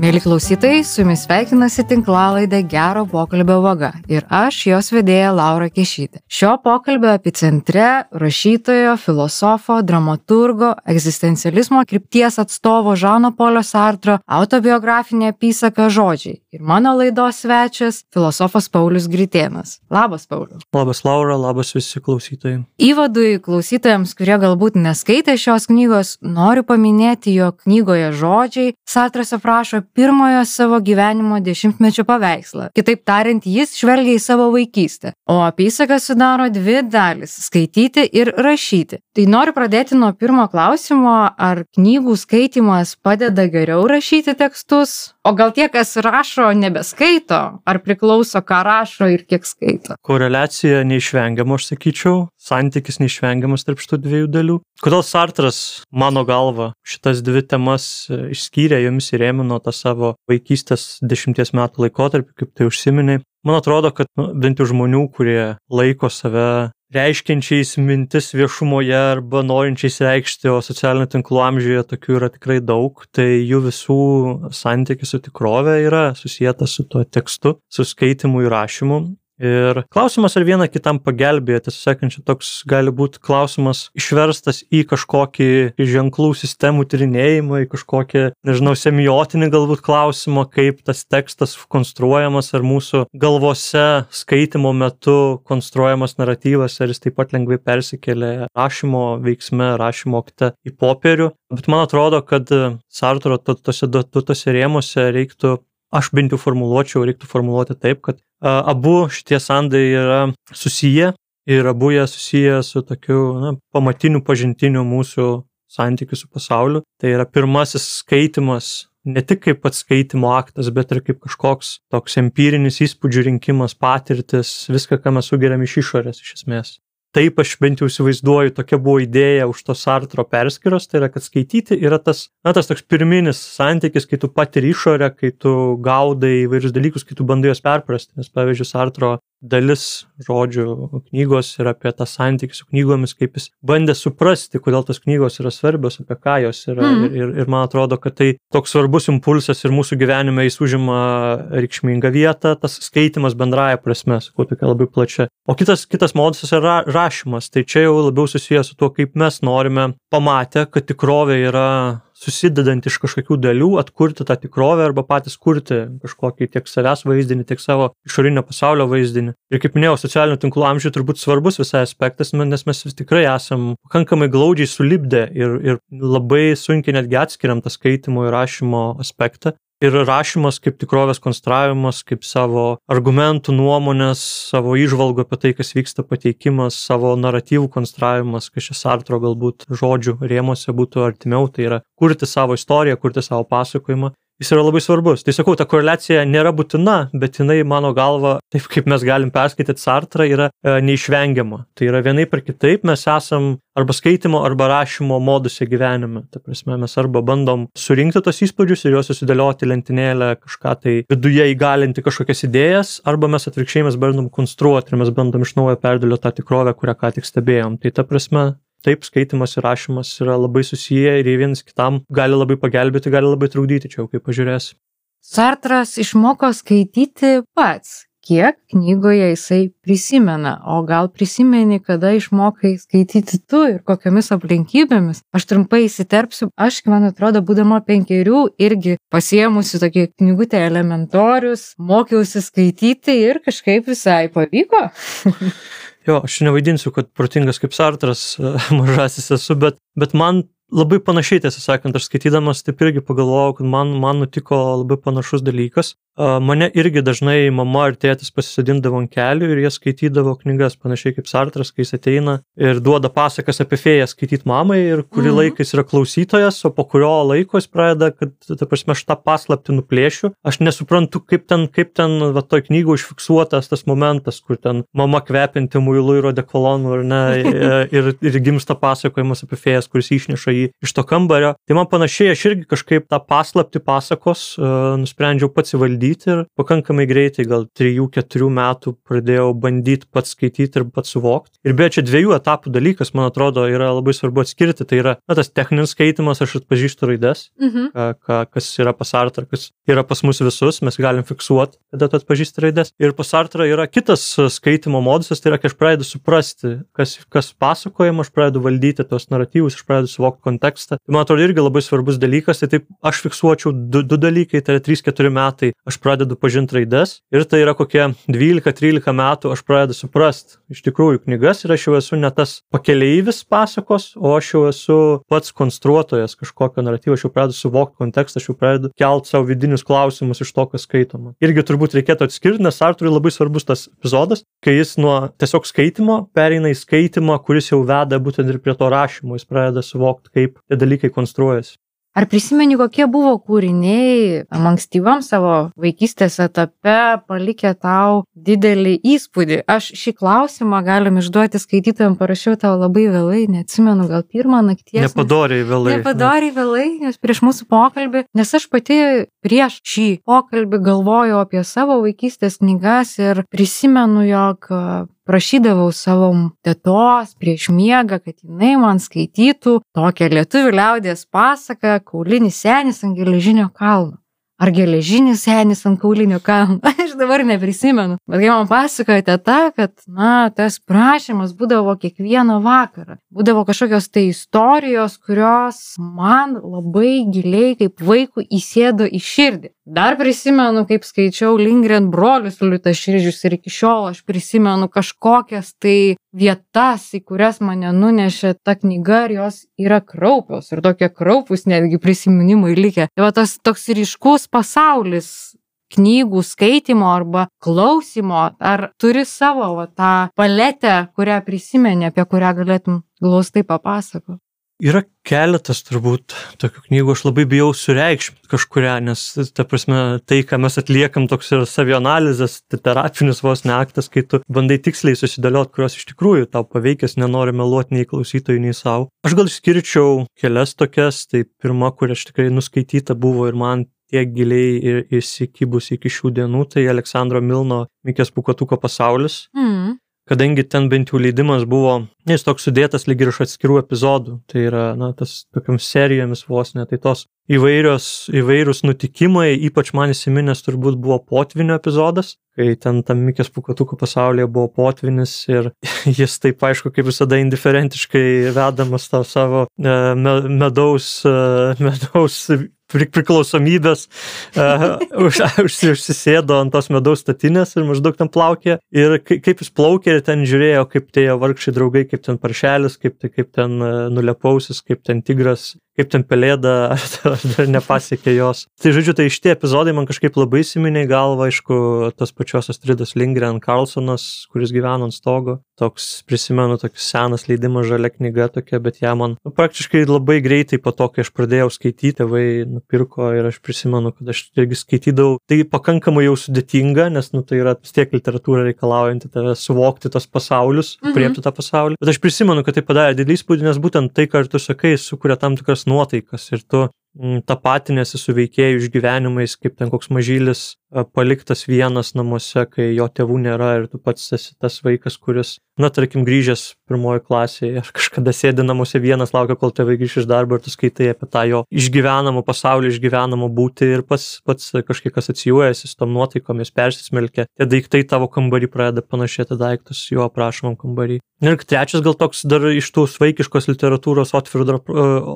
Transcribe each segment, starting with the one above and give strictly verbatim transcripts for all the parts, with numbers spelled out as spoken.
Mėly klausytojai, su jumis sveikinasi tinklalaidė Gero pokalbio vaga ir aš, jos vedėja Laura Kešytė. Šio pokalbio epicentre rašytojo, filosofo, dramaturgo, egzistencializmo krypties atstovo Žano Polio Sartro autobiografinė apysaka Žodžiai. Ir mano laidos svečias filosofas Paulius Gritėnas. Labas, Paulius. Labas, Laura, labas visi klausytojai. Įvadui klausytojams, kurie galbūt neskaitė šios knygos, noriu paminėti, jog knygoje Žodžiai Sartras aprašo pirmojo savo gyvenimo dešimtmečio paveikslą. Kitaip tariant, jis žvelgia į savo vaikystę. O apysaka sudaro dvi dalis – skaityti ir rašyti. Tai noriu pradėti nuo pirmo klausimo, ar knygų skaitymas padeda geriau rašyti tekstus? O gal tie, kas rašo, nebeskaito? Ar priklauso, ką rašo ir kiek skaito? Koreliacija neišvengiama, aš sakyčiau. Santykis neišvengiamas tarp šitų dviejų dalių. Kodėl Sartras, mano galva, šitas dvi temas išskyrė, jomis įrėmino tą savo vaikystės dešimties metų laikotarpį, kaip tai užsiminė? Man atrodo, kad nu, bent jau žmonių, kurie laiko save reiškiančiais mintis viešumoje arba norinčiais reikšti, o socialinių tinklų amžiuje tokių yra tikrai daug, tai jų visų santykis su tikrove yra susietas su tuo tekstu, su skaitimu ir rašymu. Ir klausimas, ar vieną kitam pagelbėja, tiesą sakant, čia toks gali būti klausimas išverstas į kažkokį ženklų sistemų tyrinėjimą, į kažkokį, nežinau, semiotinį galbūt klausimą, kaip tas tekstas konstruojamas, ar mūsų galvose skaitimo metu konstruojamas naratyvas, ar jis taip pat lengvai persikelia rašymo veiksme, rašymo akte į popierių. Bet man atrodo, kad Sartro tose duotose rėmuose reiktų, aš bent jau formuluočiau, reiktų formuluoti taip, kad abu šitie sandai yra susiję ir abu jie susiję su tokiu na, pamatiniu pažintiniu mūsų santykiu su pasauliu. Tai yra pirmasis skaitimas, ne tik kaip pats skaitimo aktas, bet ir kaip kažkoks toks empirinis įspūdžių rinkimas, patirtis, viską, ką mes sugeriam iš išorės iš esmės. Taip aš bent jau įsivaizduoju, tokia buvo idėja už to Sartro perskyros, tai yra, kad skaityti yra tas, na, tas toks pirminis santykis, kai tu patiri išorę, kai tu gaudai įvairius dalykus, kai tu bandai juos perprasti. Nes, pavyzdžiui, Sartro dalis žodžių knygos yra apie tą santykį su knygomis, kaip jis bandė suprasti, kodėl tos knygos yra svarbios, apie ką jos yra. Mm. Ir, ir man atrodo, kad tai toks svarbus impulsas ir mūsų gyvenime jis užima reikšmingą vietą, tas skaitimas bendraja prasme, sakau, tokia labai plačia. O kitas, kitas modusas yra rašymas, tai čia jau labiau susijęs su tuo, kaip mes norime pamatę, kad tikrovė yra susidedant iš kažkokių dalių, atkurti tą tikrovę arba patys kurti kažkokį tiek savęs vaizdinį, tiek savo išorinio pasaulio vaizdinį. Ir kaip minėjau, socialinių tinklų amžiuje turbūt svarbus visai aspektas, nes mes vis tikrai esam pakankamai glaudžiai sulipdę ir, ir labai sunkiai netgi atskiriam tą skaitimo ir rašymo aspektą. Ir rašymas kaip tikrovės konstravimas, kaip savo argumentų, nuomonės, savo įžvalgų apie tai, kas vyksta pateikimas, savo naratyvų konstravimas, kas čia Sartro galbūt žodžių rėmuose būtų artimiau, tai yra kurti savo istoriją, kurti savo pasakojimą. Jis yra labai svarbus. Tai sakau, ta koreliacija nėra būtina, bet jinai, mano galva, taip kaip mes galim perskaityti Sartrą, yra e, neišvengiama. Tai yra vienaip ar kitaip mes esam arba skaitimo, arba rašymo moduse gyvenime. Ta prasme, mes arba bandom surinkti tos įspūdžius ir juos susidėlioti lentynėlę, kažką tai viduje įgalinti kažkokias idėjas, arba mes atvirkščiai mes bandom konstruoti ir mes bandom iš naujo perdėlioti tą tikrovę, kurią ką tik stebėjom. Tai ta prasme, taip, skaitimas ir rašymas yra labai susiję ir vienas kitam gali labai pagelbėti, gali labai trukdyti, čia jau kaip pažiūrės. Sartras išmoko skaityti pats. Kiek knygoje jisai prisimena, o gal prisimeni, kada išmokai skaityti tu ir kokiamis aplinkybėmis? Aš trumpai įsiterpsiu, aš, man atrodo, būdama penkerių, irgi pasiėmusi tokį knygutę elementorius, mokiausi skaityti ir kažkaip visai pavyko. Jo, aš nevaidinsiu, kad protingas kaip Sartras mažasis esu, bet, bet man labai panašiai, tiesą sakant, aš skaitydamas taip irgi pagalvojau, kad man, man nutiko labai panašus dalykas. Mane irgi dažnai mama ir tėtis pasisodindavo ant kelių ir jie skaitydavo knygas, panašiai kaip Sartras, kai jis ateina ir duoda pasakas apie fėją skaityti mamai ir kurį mm. laiką jis yra klausytojas, o po kurio laiko jis pradeda, kad, ta prasme, aš tą paslaptį nuplėšiu. Aš nesuprantu, kaip ten, kaip ten va, toj knygoj užfiksuotas tas momentas, kur ten mama kvepinti muilu ir odekolonu, ar ne, ir, ir gimsta pasakojimas apie fėjas, kuris išneša jį iš to kambario. Tai man panašiai, aš irgi kažkaip tą paslaptį pasakos uh, nusprendžiau pats įvaldyti ir pakankamai greitai, gal trijų keturių metų pradėjau bandyti pats skaityti ir pats suvokti. Ir beje, čia dviejų etapų dalykas, man atrodo, yra labai svarbu atskirti. Tai yra, na, tas techninis skaitimas, aš atpažįstu raides, mhm. ka, ka, kas yra pas Sartrą, kas yra pas mus visus, mes galim fiksuoti, kada tu atpažįsti raides. Ir pas Sartrą yra kitas skaitimo modusas, tai yra, kai aš pradedu suprasti, kas, kas pasakojama, aš pradedu valdyti tos naratyvus, aš pradedu suvokti kontekstą. Tai man atrodo irgi labai svarbus dalykas, tai taip aš fiksuočiau du, du dalykai, tai yra trys keturi metai, aš pradedu pažinti raides ir tai yra kokie dvylika trylika metų, aš pradedu suprasti iš tikrųjų knygas ir aš jau esu ne tas pakeleivis pasakos, o aš jau esu pats konstruotojas kažkokio naratyvo, aš jau pradedu suvokti kontekstą, aš jau pradedu kelti savo vidinius klausimus iš to, kas skaitoma. Irgi turbūt reikėtų atskirti, nes Sartrui labai svarbus tas epizodas, kai jis nuo tiesiog skaitimo pereina į skaitimą, kuris jau veda būtent ir prie to rašymo, jis pradeda suvokti, kaip tie dalykai konstruojasi. Ar prisimeni, kokie buvo kūriniai ankstyvam savo vaikystės etape palikę tau didelį įspūdį? Aš šį klausimą galim išduoti skaitytojam, parašiau tau labai vėlai, neatsimenu, gal pirmą nakties. Nepadoriai vėlai. Nepadoriai vėlai, nes prieš mūsų pokalbį, nes aš pati prieš šį pokalbį galvojau apie savo vaikystės knygas ir prisimenu, jog prašydavau savo tetos prieš miegą, kad jinai man skaitytų tokią lietuvių liaudies pasaką Kaulinis senis ant geležinio kalno. Ar geležinis senis ant kaulinio kalno? Aš dabar neprisimenu. Bet kai man pasakojo teta, kad, na, tas prašymas būdavo kiekvieną vakarą. Būdavo kažkokios tai istorijos, kurios man labai giliai kaip vaikų įsėdo į širdį. Dar prisimenu, kaip skaičiau Lindgren brolius liūtaširdžius ir iki šiol aš prisimenu kažkokias tai vietas, į kurias mane nunešė ta knyga ir jos yra kraupios ir tokie kraupus netgi prisiminimai likę. Tai va tas toks ryškus pasaulis knygų skaitimo arba klausimo, ar turi savo va, tą paletę, kurią prisimeni, apie kurią galėtum glaustai papasakoti? Yra keletas turbūt tokių knygų, aš labai bijau sureikšminti kažkurią, nes ta prasme, tai, ką mes atliekam, toks yra savianalizės, tai terapinis vos neaktas, kai tu bandai tiksliai susidėlioti, kurios iš tikrųjų tau paveikęs, nenori meluoti nei klausytojui, nei savo. Aš gal išskirčiau kelias tokias, tai pirma, kur aš tikrai nuskaityta buvo ir man tiek giliai ir įsikibus iki šių dienų, tai Aleksandro Milno Mikės Pūkuotuko pasaulis. Mm. Kadangi ten bent jau leidimas buvo, jis toks sudėtas lyg ir iš atskirų epizodų, tai yra, na, tas tokiam serijomis vos ne, tai tos įvairios, įvairūs nutikimai, ypač man įsiminęs turbūt buvo potvinio epizodas, kai ten tam Mikės Pūkuotuko pasaulyje buvo potvinis ir jis taip, aišku, kaip visada indiferentiškai vedamas tą savo e, medaus, e, medaus priklausomybės uh, už, užsisėdo ant tos medaus statinės ir maždaug ten plaukė ir kaip jis plaukė ir ten žiūrėjo, kaip tie vargšai draugai, kaip ten paršelis, kaip, kaip ten nulepausis, kaip ten tigras, kaip ten pelėda, ar, ar dar nepasiekė jos. Tai žodžiu, tai šitie epizodai man kažkaip labai įsiminė į galvą, aišku, tas pačios Astridos Lindgren Carlsonas, kuris gyveno ant stogo. Toks, prisimenu, toks senas leidimas, žalia knyga tokia, bet ją man nu, praktiškai labai greitai po to, kai aš pradėjau skaityti, tėvai nupirko ir aš prisimenu, kad aš irgi skaitydavau. Tai pakankamai jau sudėtinga, nes nu, tai yra vis tiek literatūra reikalaujanti tave suvokti tos pasaulius, mhm. priepti tą pasaulį. Bet aš prisimenu, kad tai padarė didelį įspūdį, nes būtent tai, ką tu sakai, sukuria tam tikras nuotaikas ir tu tapatinėsi su veikėjų išgyvenimais, kaip ten koks mažylis paliktas vienas namuose, kai jo tėvų nėra ir tu pats esi tas vaikas, kuris, na, tarkim, grįžęs pirmoji klasėje ar kažkada sėdi namuose vienas, laukia, kol tėvai grįš iš darbo ir tu skaitai apie tą jo išgyvenamą pasaulį, išgyvenamą būtį ir pats, pats kažkiek asocijuojasi su tom nuotaikom, jis persismelkia. Tie daiktai tavo kambarį pradeda panašėti daiktus jo aprašomam kambarį. Ir trečias gal toks dar iš tų svaikiškos literatūros Otfrido,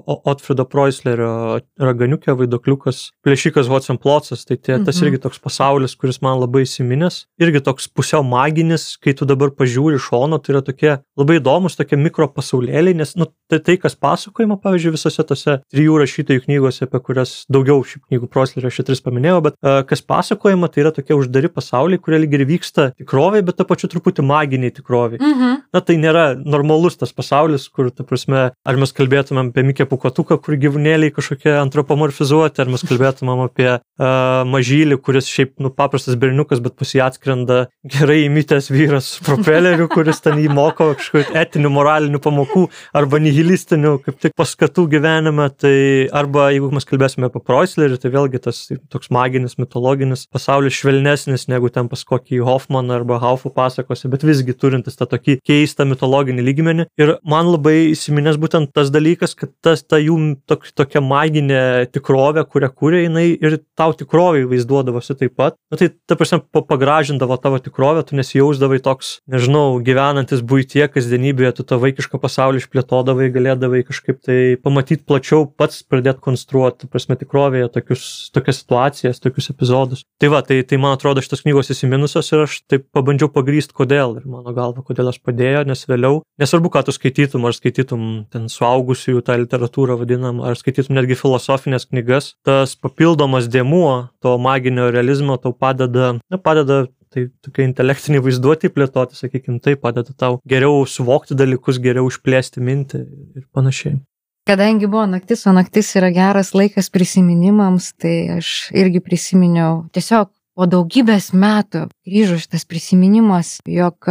Otfrido Preusslerio Raganiukė, Vaiduokliukas, Plėšikas Hotzenplotzas, tai tie, tas irgi toks pasaulis, kuris man labai įsiminęs, irgi toks pusiau maginis, kai tu dabar pažiūri šono, tai yra tokie labai įdomus, tokie mikropasaulėliai, nes nu, tai, tai, kas pasakojama, pavyzdžiui, visose tose trijų rašytojų knygose, apie kurias daugiau šių knygų Preusslerio aš tris paminėjau, bet uh, kas pasakojama, tai yra tokie uždari pasauliai, kurie lyg ir vyksta tikrovėje, bet ta pačiu truputį maginiai tikrovėje. Mhm. Na, tai nėra normalus tas pasaulis, kur, ta prasme, ar mes kalbėtumėm apie Mikę Pūkuotuką, kur gyvūnėliai kažkokie antropomorfizuoti, ar mes kalbėtumėm apie uh, mažylį, kuris šiaip, nu, paprastas berniukas, bet pas jį atskrenda gerai įmitęs vyras propeleriu, kuris ten jį moko kažkokių etinių, moralinių pamokų arba nihilistinių, kaip tik paskatų gyvenime. Tai arba jeigu mes kalbėsime apie Preusslerį, tai vėlgi tas toks maginis, mitologinis pasaulis švelnesnis negu ten pas kokį Hoffmaną arba Haufų pasakose, bet visgi turintis tą tokį keistą mitologinį lygmenį. Ir man labai įsiminęs būtent tas dalykas, kad tas, ta jų tok, tokia maginė tikrovė, kurią kūrė jinai ir tau tikrovai vaizduodavosi taip pat. Na tai, ta prasme, pagražindavo tavo tikrovę, tu nesijausdavai toks, nežinau, gyvenantis buitie, kasdienybėje, tu tą vaikišką pasaulį išplėtodavai, galėdavai kažkaip tai pamatyti plačiau, pats pradėti konstruoti, ta prasme, tikrovėje tokius, tokias situacijas, tokius epizodus. Tai va, tai, tai man atrodo šitas knygos įsiminusios ir aš taip pabandžiau pagrysti, kodėl. Ir mano galva, kodėl aš padėjo, nes vėliau, nesvarbu, ką tu skaitytum, ar skaitytum ten suaugusiųjų tą literatūrą vadinam, ar skaitytum netgi filosofinės knygas, tas papildomas dėmuo to maginio realizmo tau padeda, na, padeda tai tokia intelektinė vaizduotė plėtoti, sakykime, tai padeda tau geriau suvokti dalykus, geriau išplėsti mintį ir panašiai. Kadangi buvo naktis, o naktis yra geras laikas prisiminimams, tai aš irgi prisiminiau tiesiog po daugybės metų grįžo šitas prisiminimas, jog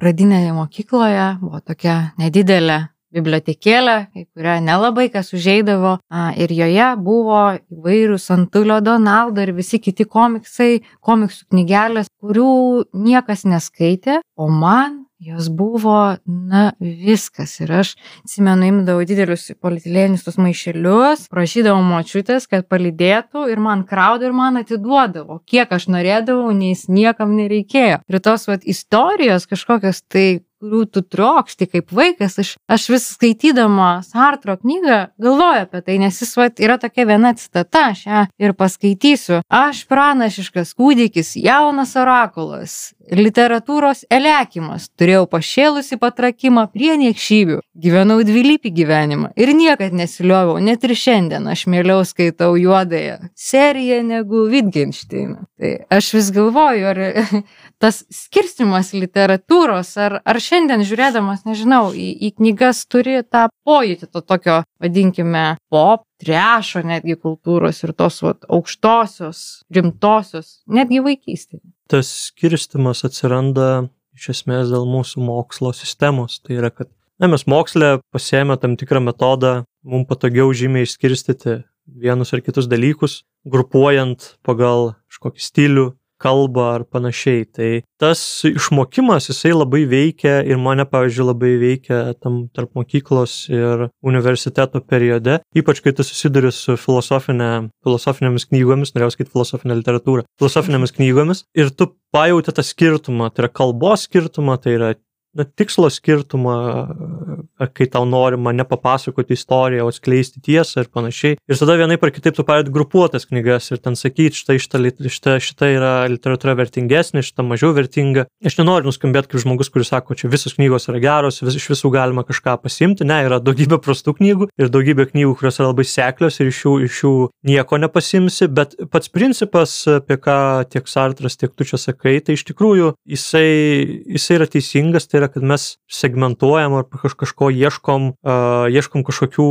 pradinėje mokykloje buvo tokia nedidelė bibliotekėlė, į kurią nelabai kas užeidavo, ir joje buvo įvairūs Antulio Donaldo ir visi kiti komiksai, komiksų knygelės, kurių niekas neskaitė, o man jos buvo, na, viskas. Ir aš, atsimenu, imdavau didelius polietilenius tus maišelius, prašydavau močiutės, kad palydėtų ir man kraudavo ir man atiduodavo. Kiek aš norėdavau, nes niekam nereikėjo. Ir tos vat istorijos kažkokios tai, kurių tu trokšti kaip vaikas, aš, aš vis skaitydama Sartro knygą galvoju apie tai, nes jis vat, yra tokia viena citata, aš ją ir paskaitysiu. Aš pranašiškas kūdikis, jaunas orakulas, literatūros elekimas, turėjau pašėlusi patrakimą prie niekšybių, gyvenau dvilypį gyvenimą ir niekad nesilioviau, net ir šiandien aš mieliau skaitau juodąją seriją negu Wittgensteiną. Tai aš vis galvoju, ar tas skirstymas literatūros, ar, ar šiandien žiūrėdamas, nežinau, į, į knygas turi tą pojūtį, to tokio, vadinkime, pop, trešo netgi kultūros ir tos vat, aukštosios, rimtosios, netgi vaikystėje. Tas skirstymas atsiranda iš esmės dėl mūsų mokslo sistemos. Tai yra, kad na, mes moksle pasiėmė tam tikrą metodą, mums patogiau žymiai išskirstyti vienus ar kitus dalykus, grupuojant pagal kažkokį stilių, kalbą ar panašiai. Tai tas išmokimas, jisai labai veikia ir mane, pavyzdžiui, labai veikia tam tarp mokyklos ir universiteto periode, ypač kai tu susiduri su filosofinė, filosofinėmis knygomis, norėjau skaityti filosofinę literatūrą, filosofinėmis knygomis ir tu pajauti tą skirtumą, tai yra kalbos skirtumą, tai yra na, tikslo skirtumą, kai tau norima nepapasakoti istoriją, o atskleisti tiesą ir panašiai. Ir tada vienaip ar kitaip tu pradedi grupuotas knygas ir ten sakyti, štai šita, šita, šita yra literatūra vertingesnė, šita mažiau vertinga. Aš nenoriu nuskambėti kaip žmogus, kuris sako, čia visos knygos yra geros, vis, iš visų galima kažką pasimti. Ne, yra daugybė prastų knygų ir daugybė knygų, kurios yra labai seklios ir iš jų, iš jų nieko nepasimsi, bet pats principas, apie ką tiek Sartras, tiek tu čia sakai, tai iš tikrųjų jisai, jisai yra teisingas, tai yra, kad mes segmentuojam ar kaž, kažko ieškom, uh, ieškom kažkokių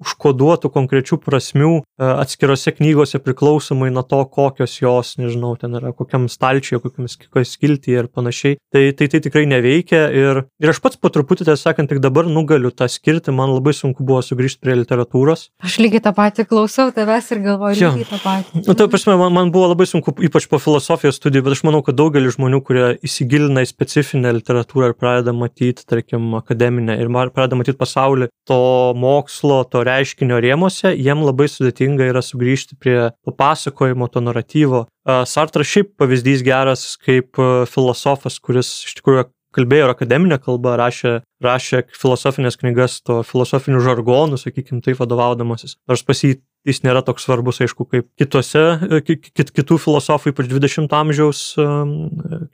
užkoduotų konkrečių prasmių uh, atskirose knygose priklausomai nuo to, kokios jos, nežinau, ten yra kokiam stalčiuje, kokiam skiltyje ir panašiai. Tai, tai tai tikrai neveikia ir, ir aš pats po truputį, tai sakant, tik dabar nugaliu tą skirti, man labai sunku buvo sugrįžti prie literatūros. Aš lygiai tą patį klausau tavęs ir galvoju lygiai tą patį. Nu, tai prasme, man, man buvo labai sunku, ypač po filosofijos studijų, bet aš manau, kad daugelis žmonių, kurie įsigilina į specifinę literatūrą ir pradeda matyti, tarkim, akademinę ir pradeda matyti pasaulį to mokslo, to reiškinio rėmose, jiem labai sudėtinga yra sugrįžti prie papasakojimo, to naratyvo. Sartras šiaip pavyzdys geras kaip filosofas, kuris iš tikrųjų kalbėjo ir akademinę kalbą, rašė, rašė filosofinės knygas, to filosofinių žargonų, sakykime, taip vadovaudamasis. Nors pas jį jis nėra toks svarbus, aišku, kaip kitose, kit, kitų filosofų, ypač dvidešimto amžiaus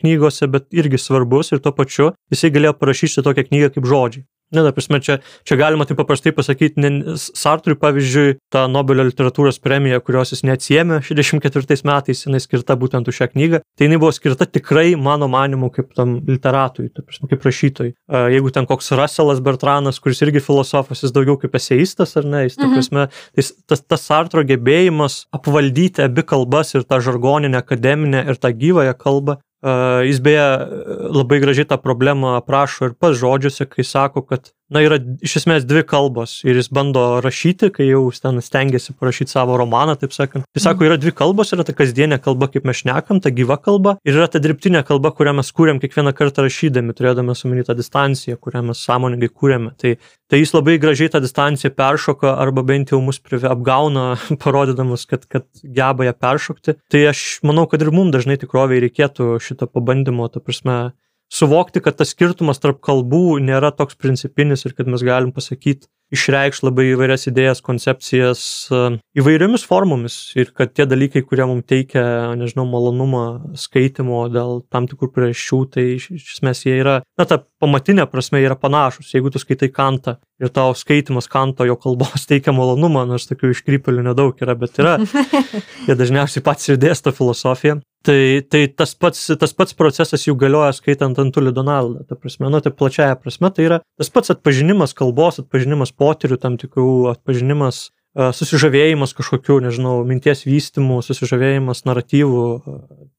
knygose, bet irgi svarbus ir tuo pačiu jisai galėjo parašyti tokią knygą kaip Žodžiai. Ne, ta prasme, čia, čia galima taip paprastai pasakyti, ne, Sartrui, pavyzdžiui, ta Nobelio literatūros premija, kurios jis neatsiėmė šešiasdešimt ketvirtais metais, jinai skirta būtent už šią knygą, tai jinai buvo skirta tikrai, mano manimu, kaip tam literatui, ta prasme, kaip rašytojui. Jeigu ten koks Russellas Bertranas, kuris irgi filosofas, jis daugiau kaip eseistas, ar ne, jis, ta prasme, tai tas, tas Sartro gebėjimas apvaldyti abi kalbas ir tą žargoninę, akademinę ir tą gyvąją kalbą. Uh, jis beje labai gražiai tą problemą aprašo ir pats žodžiuose, kai sako, kad na, yra iš esmės dvi kalbos ir jis bando rašyti, kai jau ten stengiasi parašyti savo romaną, taip sakant. Jis sako, yra dvi kalbos, yra ta kasdienė kalba, kaip mes šnekam, ta gyva kalba, ir yra ta dirbtinė kalba, kurią mes kūrėm kiekvieną kartą rašydami, turėdami omeny tą distanciją, kurią mes sąmoningai kūrėme. Tai, tai jis labai gražiai tą distanciją peršoka arba bent jau mus apgauna, parodydamas, kad, kad geba ją peršokti. Tai aš manau, kad ir mums dažnai tikroviai reikėtų šito pabandymo, ta prasme, suvokti, kad tas skirtumas tarp kalbų nėra toks principinis ir kad mes galim pasakyti, išreikšti labai įvairias idėjas, koncepcijas įvairiomis formomis ir kad tie dalykai, kurie mums teikia, nežinau, malonumą skaitimo dėl tam tikrų priežasčių, tai iš, iš esmės jie yra, na, ta pamatinė prasme yra panašus. Jeigu tu skaitai Kantą ir tau skaitimas Kanto, jo kalbos teikia malonumą, nors tokių iškrypėlių nedaug yra, bet yra, jie dažniausiai pats ir dėsto filosofiją. Tai, tai tas, pats, tas pats procesas jau galioja skaitant Antulį Donaldą. Ta prasme, nu, tai plačiaja prasme, tai yra tas pats atpažinimas kalbos, atpažinimas potyrių, tam tikrų atpažinimas, susižavėjimas kažkokių, nežinau, minties vystymų, susižavėjimas naratyvų,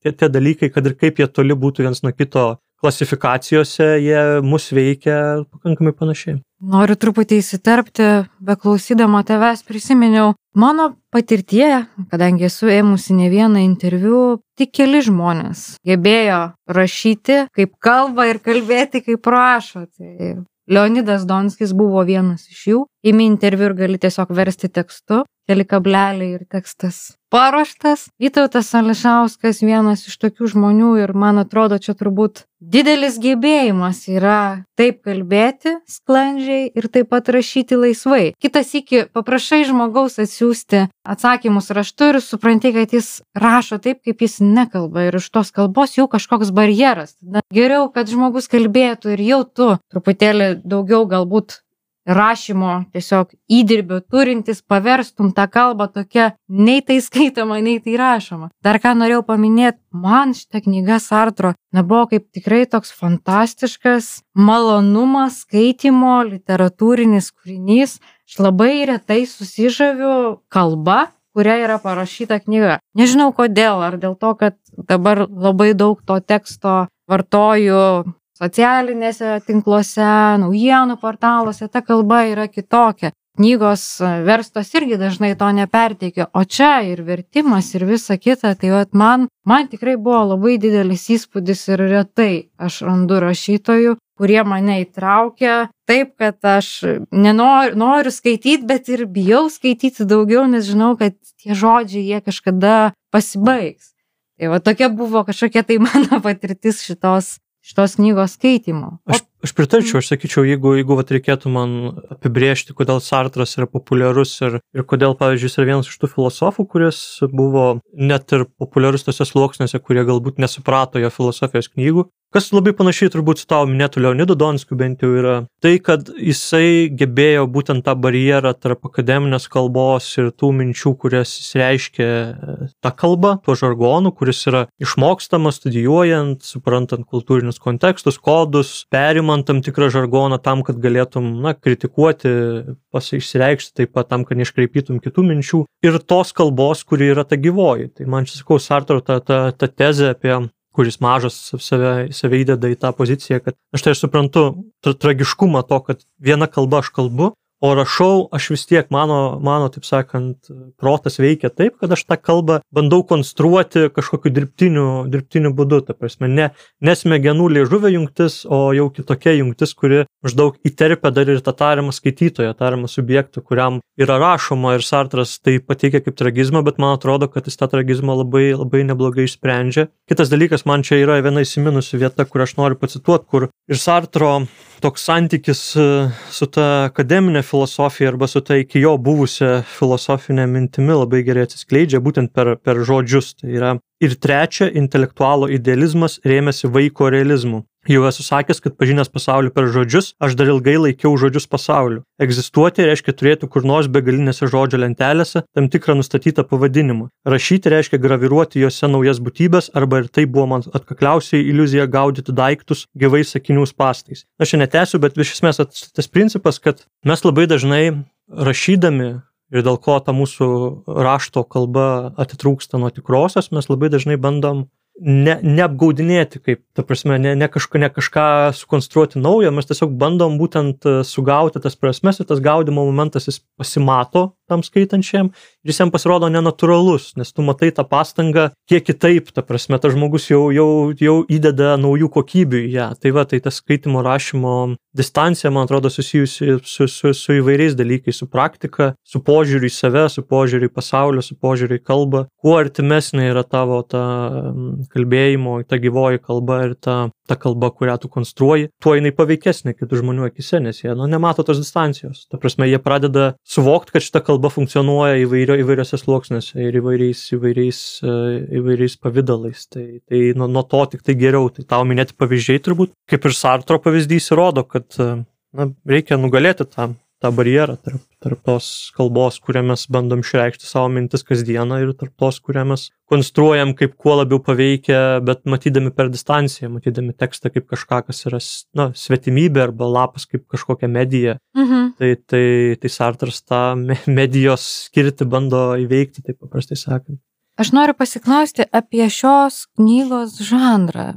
tie, tie dalykai, kad ir kaip jie toli būtų viens nuo kito klasifikacijose, jie mus veikia pakankamai panašiai. Noriu truputį įsiterpti, beklausydama tavęs prisiminiau mano patirtie, kadangi esu ėmusi ne vieną interviu, tik keli žmonės gebėjo rašyti kaip kalba ir kalbėti kaip rašo. Tai Leonidas Donskis buvo vienas iš jų. Imi interviu ir gali tiesiog versti tekstu, keli kableliai ir tekstas paruoštas. Vytautas Ališauskas vienas iš tokių žmonių ir man atrodo, čia turbūt didelis gebėjimas yra taip kalbėti sklandžiai ir taip pat rašyti laisvai. Kitas iki paprašai žmogaus atsiųsti atsakymus raštu ir supranti, kad jis rašo taip, kaip jis nekalba ir iš tos kalbos jau kažkoks barjeras. Tada geriau, kad žmogus kalbėtų ir jau tu truputėlį daugiau galbūt rašymo tiesiog įdirbio turintis paverstum tą kalbą tokia nei tai skaitoma, nei tai rašoma. Dar ką norėjau paminėti, man šitą knygą Sartro nebuvo kaip tikrai toks fantastiškas malonumas skaitimo, literatūrinis kūrinys. Aš labai retai susižaviu kalba, kuria yra parašyta knyga. Nežinau kodėl, ar dėl to, kad dabar labai daug to teksto vartoju socialinėse tinkluose, naujienų portaluose, ta kalba yra kitokia. Knygos verstos irgi dažnai to neperteikia, o čia ir vertimas ir visa kita, tai vat man, man tikrai buvo labai didelis įspūdis ir retai aš randu rašytojų, kurie mane įtraukia taip, kad aš nenoriu, noriu skaityti, bet ir bijau skaityti daugiau, nes žinau, kad tie žodžiai jie kažkada pasibaigs. Tai va tokia buvo kažkokia tai mano patirtis šitos šitos knygos skaitimo. Aš, aš pritarčiau, aš sakyčiau, jeigu, jeigu vat, reikėtų man apibrėžti, kodėl Sartras yra populiarus ir, ir kodėl, pavyzdžiui, jis yra vienas iš tų filosofų, kuris buvo net ir populiarus tose sluoksniuose, kurie galbūt nesuprato jo filosofijos knygų. Kas labai panašiai turbūt su tavo minėtų Leonidu Donskiu bent jau yra tai, kad jisai gebėjo būtent tą barjerą tarp akademinės kalbos ir tų minčių, kurias jis reiškia tą kalbą, tuo žargonu, kuris yra išmokstamas studijuojant, suprantant kultūrinius kontekstus, kodus, perimant tam tikrą žargoną tam, kad galėtum, na, kritikuoti, pasireikšti taip pat tam, kad neiškreipytum kitų minčių ir tos kalbos, kuri yra ta gyvoji. Tai man čia sakau, Sartro ta, ta, ta tezė apie kuris mažas save, save įdeda į tą poziciją, kad aš tai aš suprantu tra tragiškumą to, kad viena kalba aš kalbu, o rašau, aš vis tiek, mano, mano, taip sakant, protas veikia taip, kad aš tą kalbą bandau konstruoti kažkokiu dirbtiniu, dirbtiniu būdu, ta prasme, ne, ne smegenų liežuvio jungtis, o jau kitokia jungtis, kuri maždaug įterpia dar ir tą tariamą skaitytoją, tariamą subjektą, kuriam yra rašoma ir Sartras tai pateikia kaip tragizmą, bet man atrodo, kad jis tą tragizmą labai, labai neblogai išsprendžia. Kitas dalykas, man čia yra viena įsiminusi vieta, kur aš noriu pacituoti, kur ir Sartro toks santykis su ta akademinė filosofija arba su ta iki jo buvusia filosofinė mintimi labai gerai atsiskleidžia būtent per, per žodžius. Tai yra ir trečia, intelektualo idealizmas rėmėsi vaiko realizmu. Jau esu sakęs, kad pažinęs pasaulį per žodžius, aš dar ilgai laikiau žodžius pasauliu. Egzistuoti reiškia turėti kur nors begalinėse žodžio lentelėse tam tikrą nustatytą pavadinimą. Rašyti reiškia graviruoti juose naujas būtybės, arba ir tai buvo man atkakliausiai iliuzija gaudyti daiktus gyvais sakinių spąstais. Aš čia netęsiu, bet iš esmės tas principas, kad mes labai dažnai rašydami ir dėl ko ta mūsų rašto kalba atitrūksta nuo tikrosios, mes labai dažnai bandom ne, neapgaudinėti, kaip, ta prasme, ne, ne, kažko, ne kažką sukonstruoti naujo, mes tiesiog bandom būtent sugauti tas prasmes ir tas gaudimo momentas jis pasimato tam skaitančiam ir jis jam pasirodo nenatūralus, nes tu matai tą pastangą kiek kitaip, ta prasme, tas žmogus jau, jau, jau įdeda naujų kokybių į ją. Tai va, tai tas skaitimo rašymo distancija, man atrodo, susijusi su, su, su įvairiais dalykais, su praktika, su požiūriu į save, su požiūriu į pasaulį, su požiūriu į kalbą. Kuo artimesnė yra tavo ta kalbėjimo, ta gyvoji kalba ir ta, ta kalba, kurią tu konstruoji, tuo jinai paveikesnė kitų žmonių akise, nes jie nu, nemato tos distancijos. Ta prasme, jie pradeda suvokti, kad šita kalba funkcionuoja įvairio, įvairiose sluoksniuose ir įvairiais, įvairiais, įvairiais pavydalais. Tai, tai nuo, nuo to tik tai geriau. Tai tau minėti pavyzdžiai turbūt, kaip ir Sartro pavyzdys įrodo, kad na, reikia nugalėti tą, tą barjerą tarp, tarp tos kalbos, kurią mes bandom išreikšti savo mintis kasdieną ir tarp tos, kurią mes konstruojam kaip kuo labiau paveikia, bet matydami per distanciją, matydami tekstą kaip kažką, kas yra na, svetimybė arba lapas kaip kažkokia medija. Mhm. Tai, tai, tai Sartras tą medijos skirtį bando įveikti, taip paprastai sakant. Aš noriu pasiklausti apie šios knygos žanrą.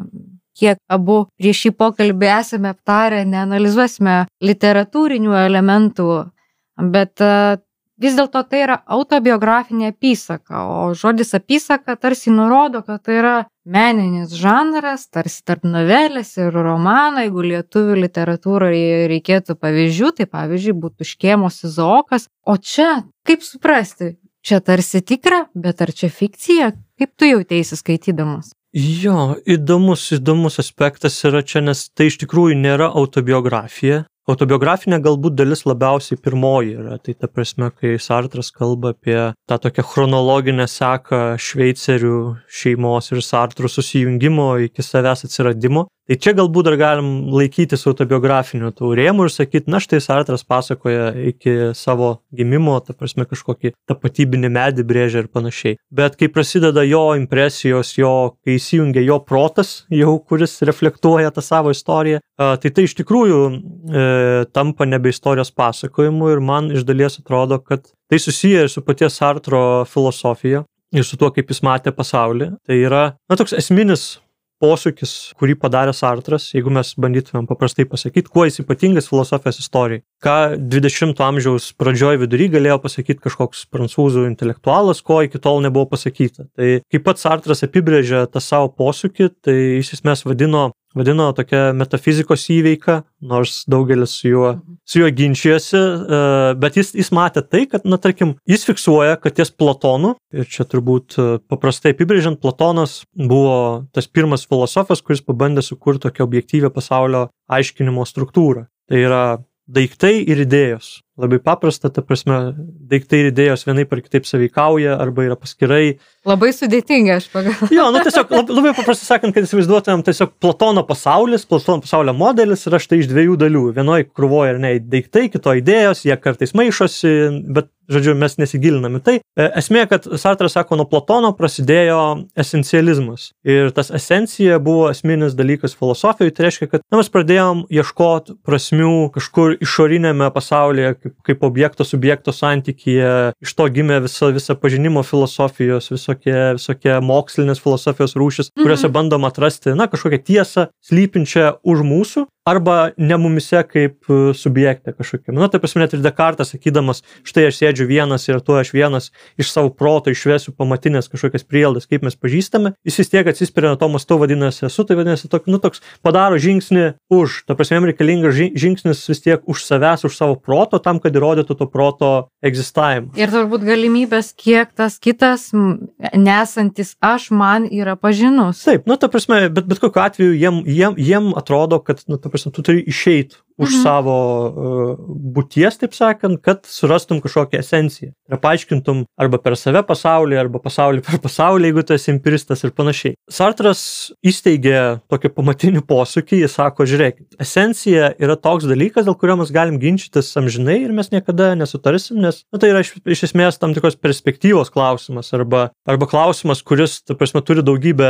Kiek abu prieš šį pokalbį esame aptarę, neanalizuosime literatūrinių elementų, bet vis dėlto tai yra autobiografinė apysaka, o žodis apysaka tarsi nurodo, kad tai yra meninis žanras, tarsi tarp novelės ir romano. Jeigu lietuvių literatūroje reikėtų pavyzdžių, tai pavyzdžiui būtų Škėmos Izaokas. O čia, kaip suprasti, čia tarsi tikra, bet ar čia fikcija? Kaip tu jauteisi skaitydamas? Jo, įdomus, įdomus aspektas yra čia, nes tai iš tikrųjų nėra autobiografija. Autobiografinė galbūt dalis labiausiai pirmoji yra. Tai ta prasme, kai Sartras kalba apie tą tokią chronologinę seką šveicerių šeimos ir Sartrų susijungimo iki savęs atsiradimo. Tai čia galbūt dar galim laikytis autobiografinių tų rėmų ir sakyti, na štai Sartras pasakoja iki savo gimimo, ta prasme kažkokį tapatybinį medį brėžia ir panašiai. Bet kai prasideda jo impresijos, jo, kai įsijungia jo protas, jau kuris reflektuoja tą savo istoriją, tai tai iš tikrųjų e, tampa nebe istorijos pasakojimu ir man iš dalies atrodo, kad tai susiję ir su paties Sartro filosofija ir su tuo, kaip jis matė pasaulį. Tai yra, na, toks esminis posūkis, kurį padarė Sartras, jeigu mes bandytumėm paprastai pasakyti, kuo jis ypatingas filosofijos istorijai. Ką dvidešimto amžiaus pradžioj vidury galėjo pasakyti kažkoks prancūzų intelektualas, ko iki tol nebuvo pasakyta. Tai kaip pats Sartras apibrėžė tą savo posūkį, tai jis esmės vadino vadino tokia metafizikos įveika, nors daugelis su juo, su juo ginčijosi, bet jis, jis matė tai, kad, na, tarkim, jis fiksuoja, kad ties Platonu, ir čia turbūt paprastai apibrėžiant, Platonas buvo tas pirmas filosofas, kuris pabandė sukurti tokią objektyvią pasaulio aiškinimo struktūrą. Tai yra daiktai ir idėjos. Labai paprasta, ta prasme, daiktai ir idėjos vienaip ar kitaip sąveikauja arba yra paskirai. Labai sudėtinga, aš pagalvoju. Jo, nu tiesiog labai, labai paprastai sakant, kad įsivaizduotumėm tiesiog Platono pasaulis, Platono pasaulio modelis yra štai iš dviejų dalių. Vienoje krūvoje ir ne daiktai, kitoje idėjos, jie kartais maišosi, bet, žodžiu, mes nesigilinam į tai. Esmė, kad Sartras sako, nuo Platono prasidėjo esencializmas. Ir tas esencija buvo esminis dalykas filosofijoje. Tai reiškia, kad na, mes pradėjom ieškoti prasmių kažkur išorinėme pasaulyje, kaip, kaip objekto subjekto santykyje. Iš to gimė visa, visa pažinimo filosofijos, visokie, visokie mokslinės filosofijos rūšis, kuriuose mm-hmm. bandom atrasti, na, kažkokią tiesą slypinčią už mūsų. Arba ne mumise kaip subjektė kažkokia. Na, taip prasme, net ir Descartes sakydamas, štai aš sėdžiu vienas ir tuo aš vienas iš savo proto išvesiu pamatinės kažkokias prielaidas, kaip mes pažįstame, jis vis tiek atsispiria nuo to mastu, vadinasi, esu, tai vadinasi, tok, nu, toks padaro žingsnį už. Ta prasme, jam reikalingas žingsnis vis tiek už savęs, už savo proto, tam, kad įrodytų to proto egzistavimą. Ir turbūt galimybės, kiek tas kitas nesantis aš man yra pažinus. Taip, nu, ta prasme, bet, bet kokiu atveju jiem, jiem, jiem atrodo, kad, nu, ta prasme, tu turi išeiti už Mhm. savo uh, būties, taip sakant, kad surastum kažkokią esenciją. Ir paaiškintum arba per save pasaulį, arba pasaulį per pasaulį, jeigu tu esi empiristas ir panašiai. Sartras įsteigė tokį pamatinį posūkį, jis sako, žiūrėkit, esencija yra toks dalykas, dėl kurio mes galim ginčytis amžinai ir mes niekada nesutarsim, nes nu, tai yra iš, iš esmės tam tikros perspektyvos klausimas arba, arba klausimas, kuris, ta prasme, turi daugybę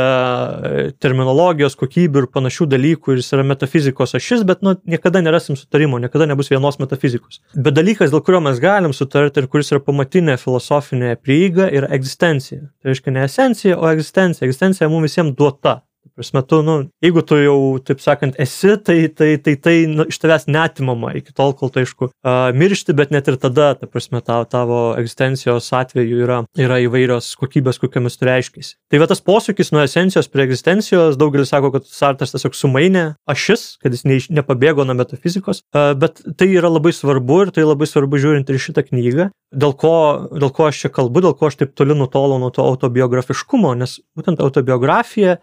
terminologijos, kokybių ir panašių dalykų ir jis yra metafizikos ašis, bet nu, niekada nerasim sutarimo, niekada nebus vienos metafizikos. Bet dalykas, dėl kurio mes galim sutarti ir kuris yra pamatinė filosofinė prieiga, yra egzistencija. Tai reiškia ne esencija, o egzistencija. Egzistencija mums visiems duota. Prasme, tu, nu, jeigu tu jau, taip sakant, esi, tai tai, tai, tai nu, iš tavęs neatimama iki tol, kol tai, aišku, uh, miršti, bet net ir tada, ta prasme, tavo, tavo egzistencijos atveju yra, yra įvairios kokybės, kokiamis tu reiškiasi. Tai va tas posūkis nuo esencijos prie egzistencijos, daugelis sako, kad Sartras tiesiog sumainė ašis, kad jis ne, nepabėgo nuo metafizikos, uh, bet tai yra labai svarbu ir tai labai svarbu žiūrint ir šitą knygą, dėl ko, dėl ko aš čia kalbu, dėl ko aš taip toli nutolau nuo to autobiografiškumo, nes būtent autobiografija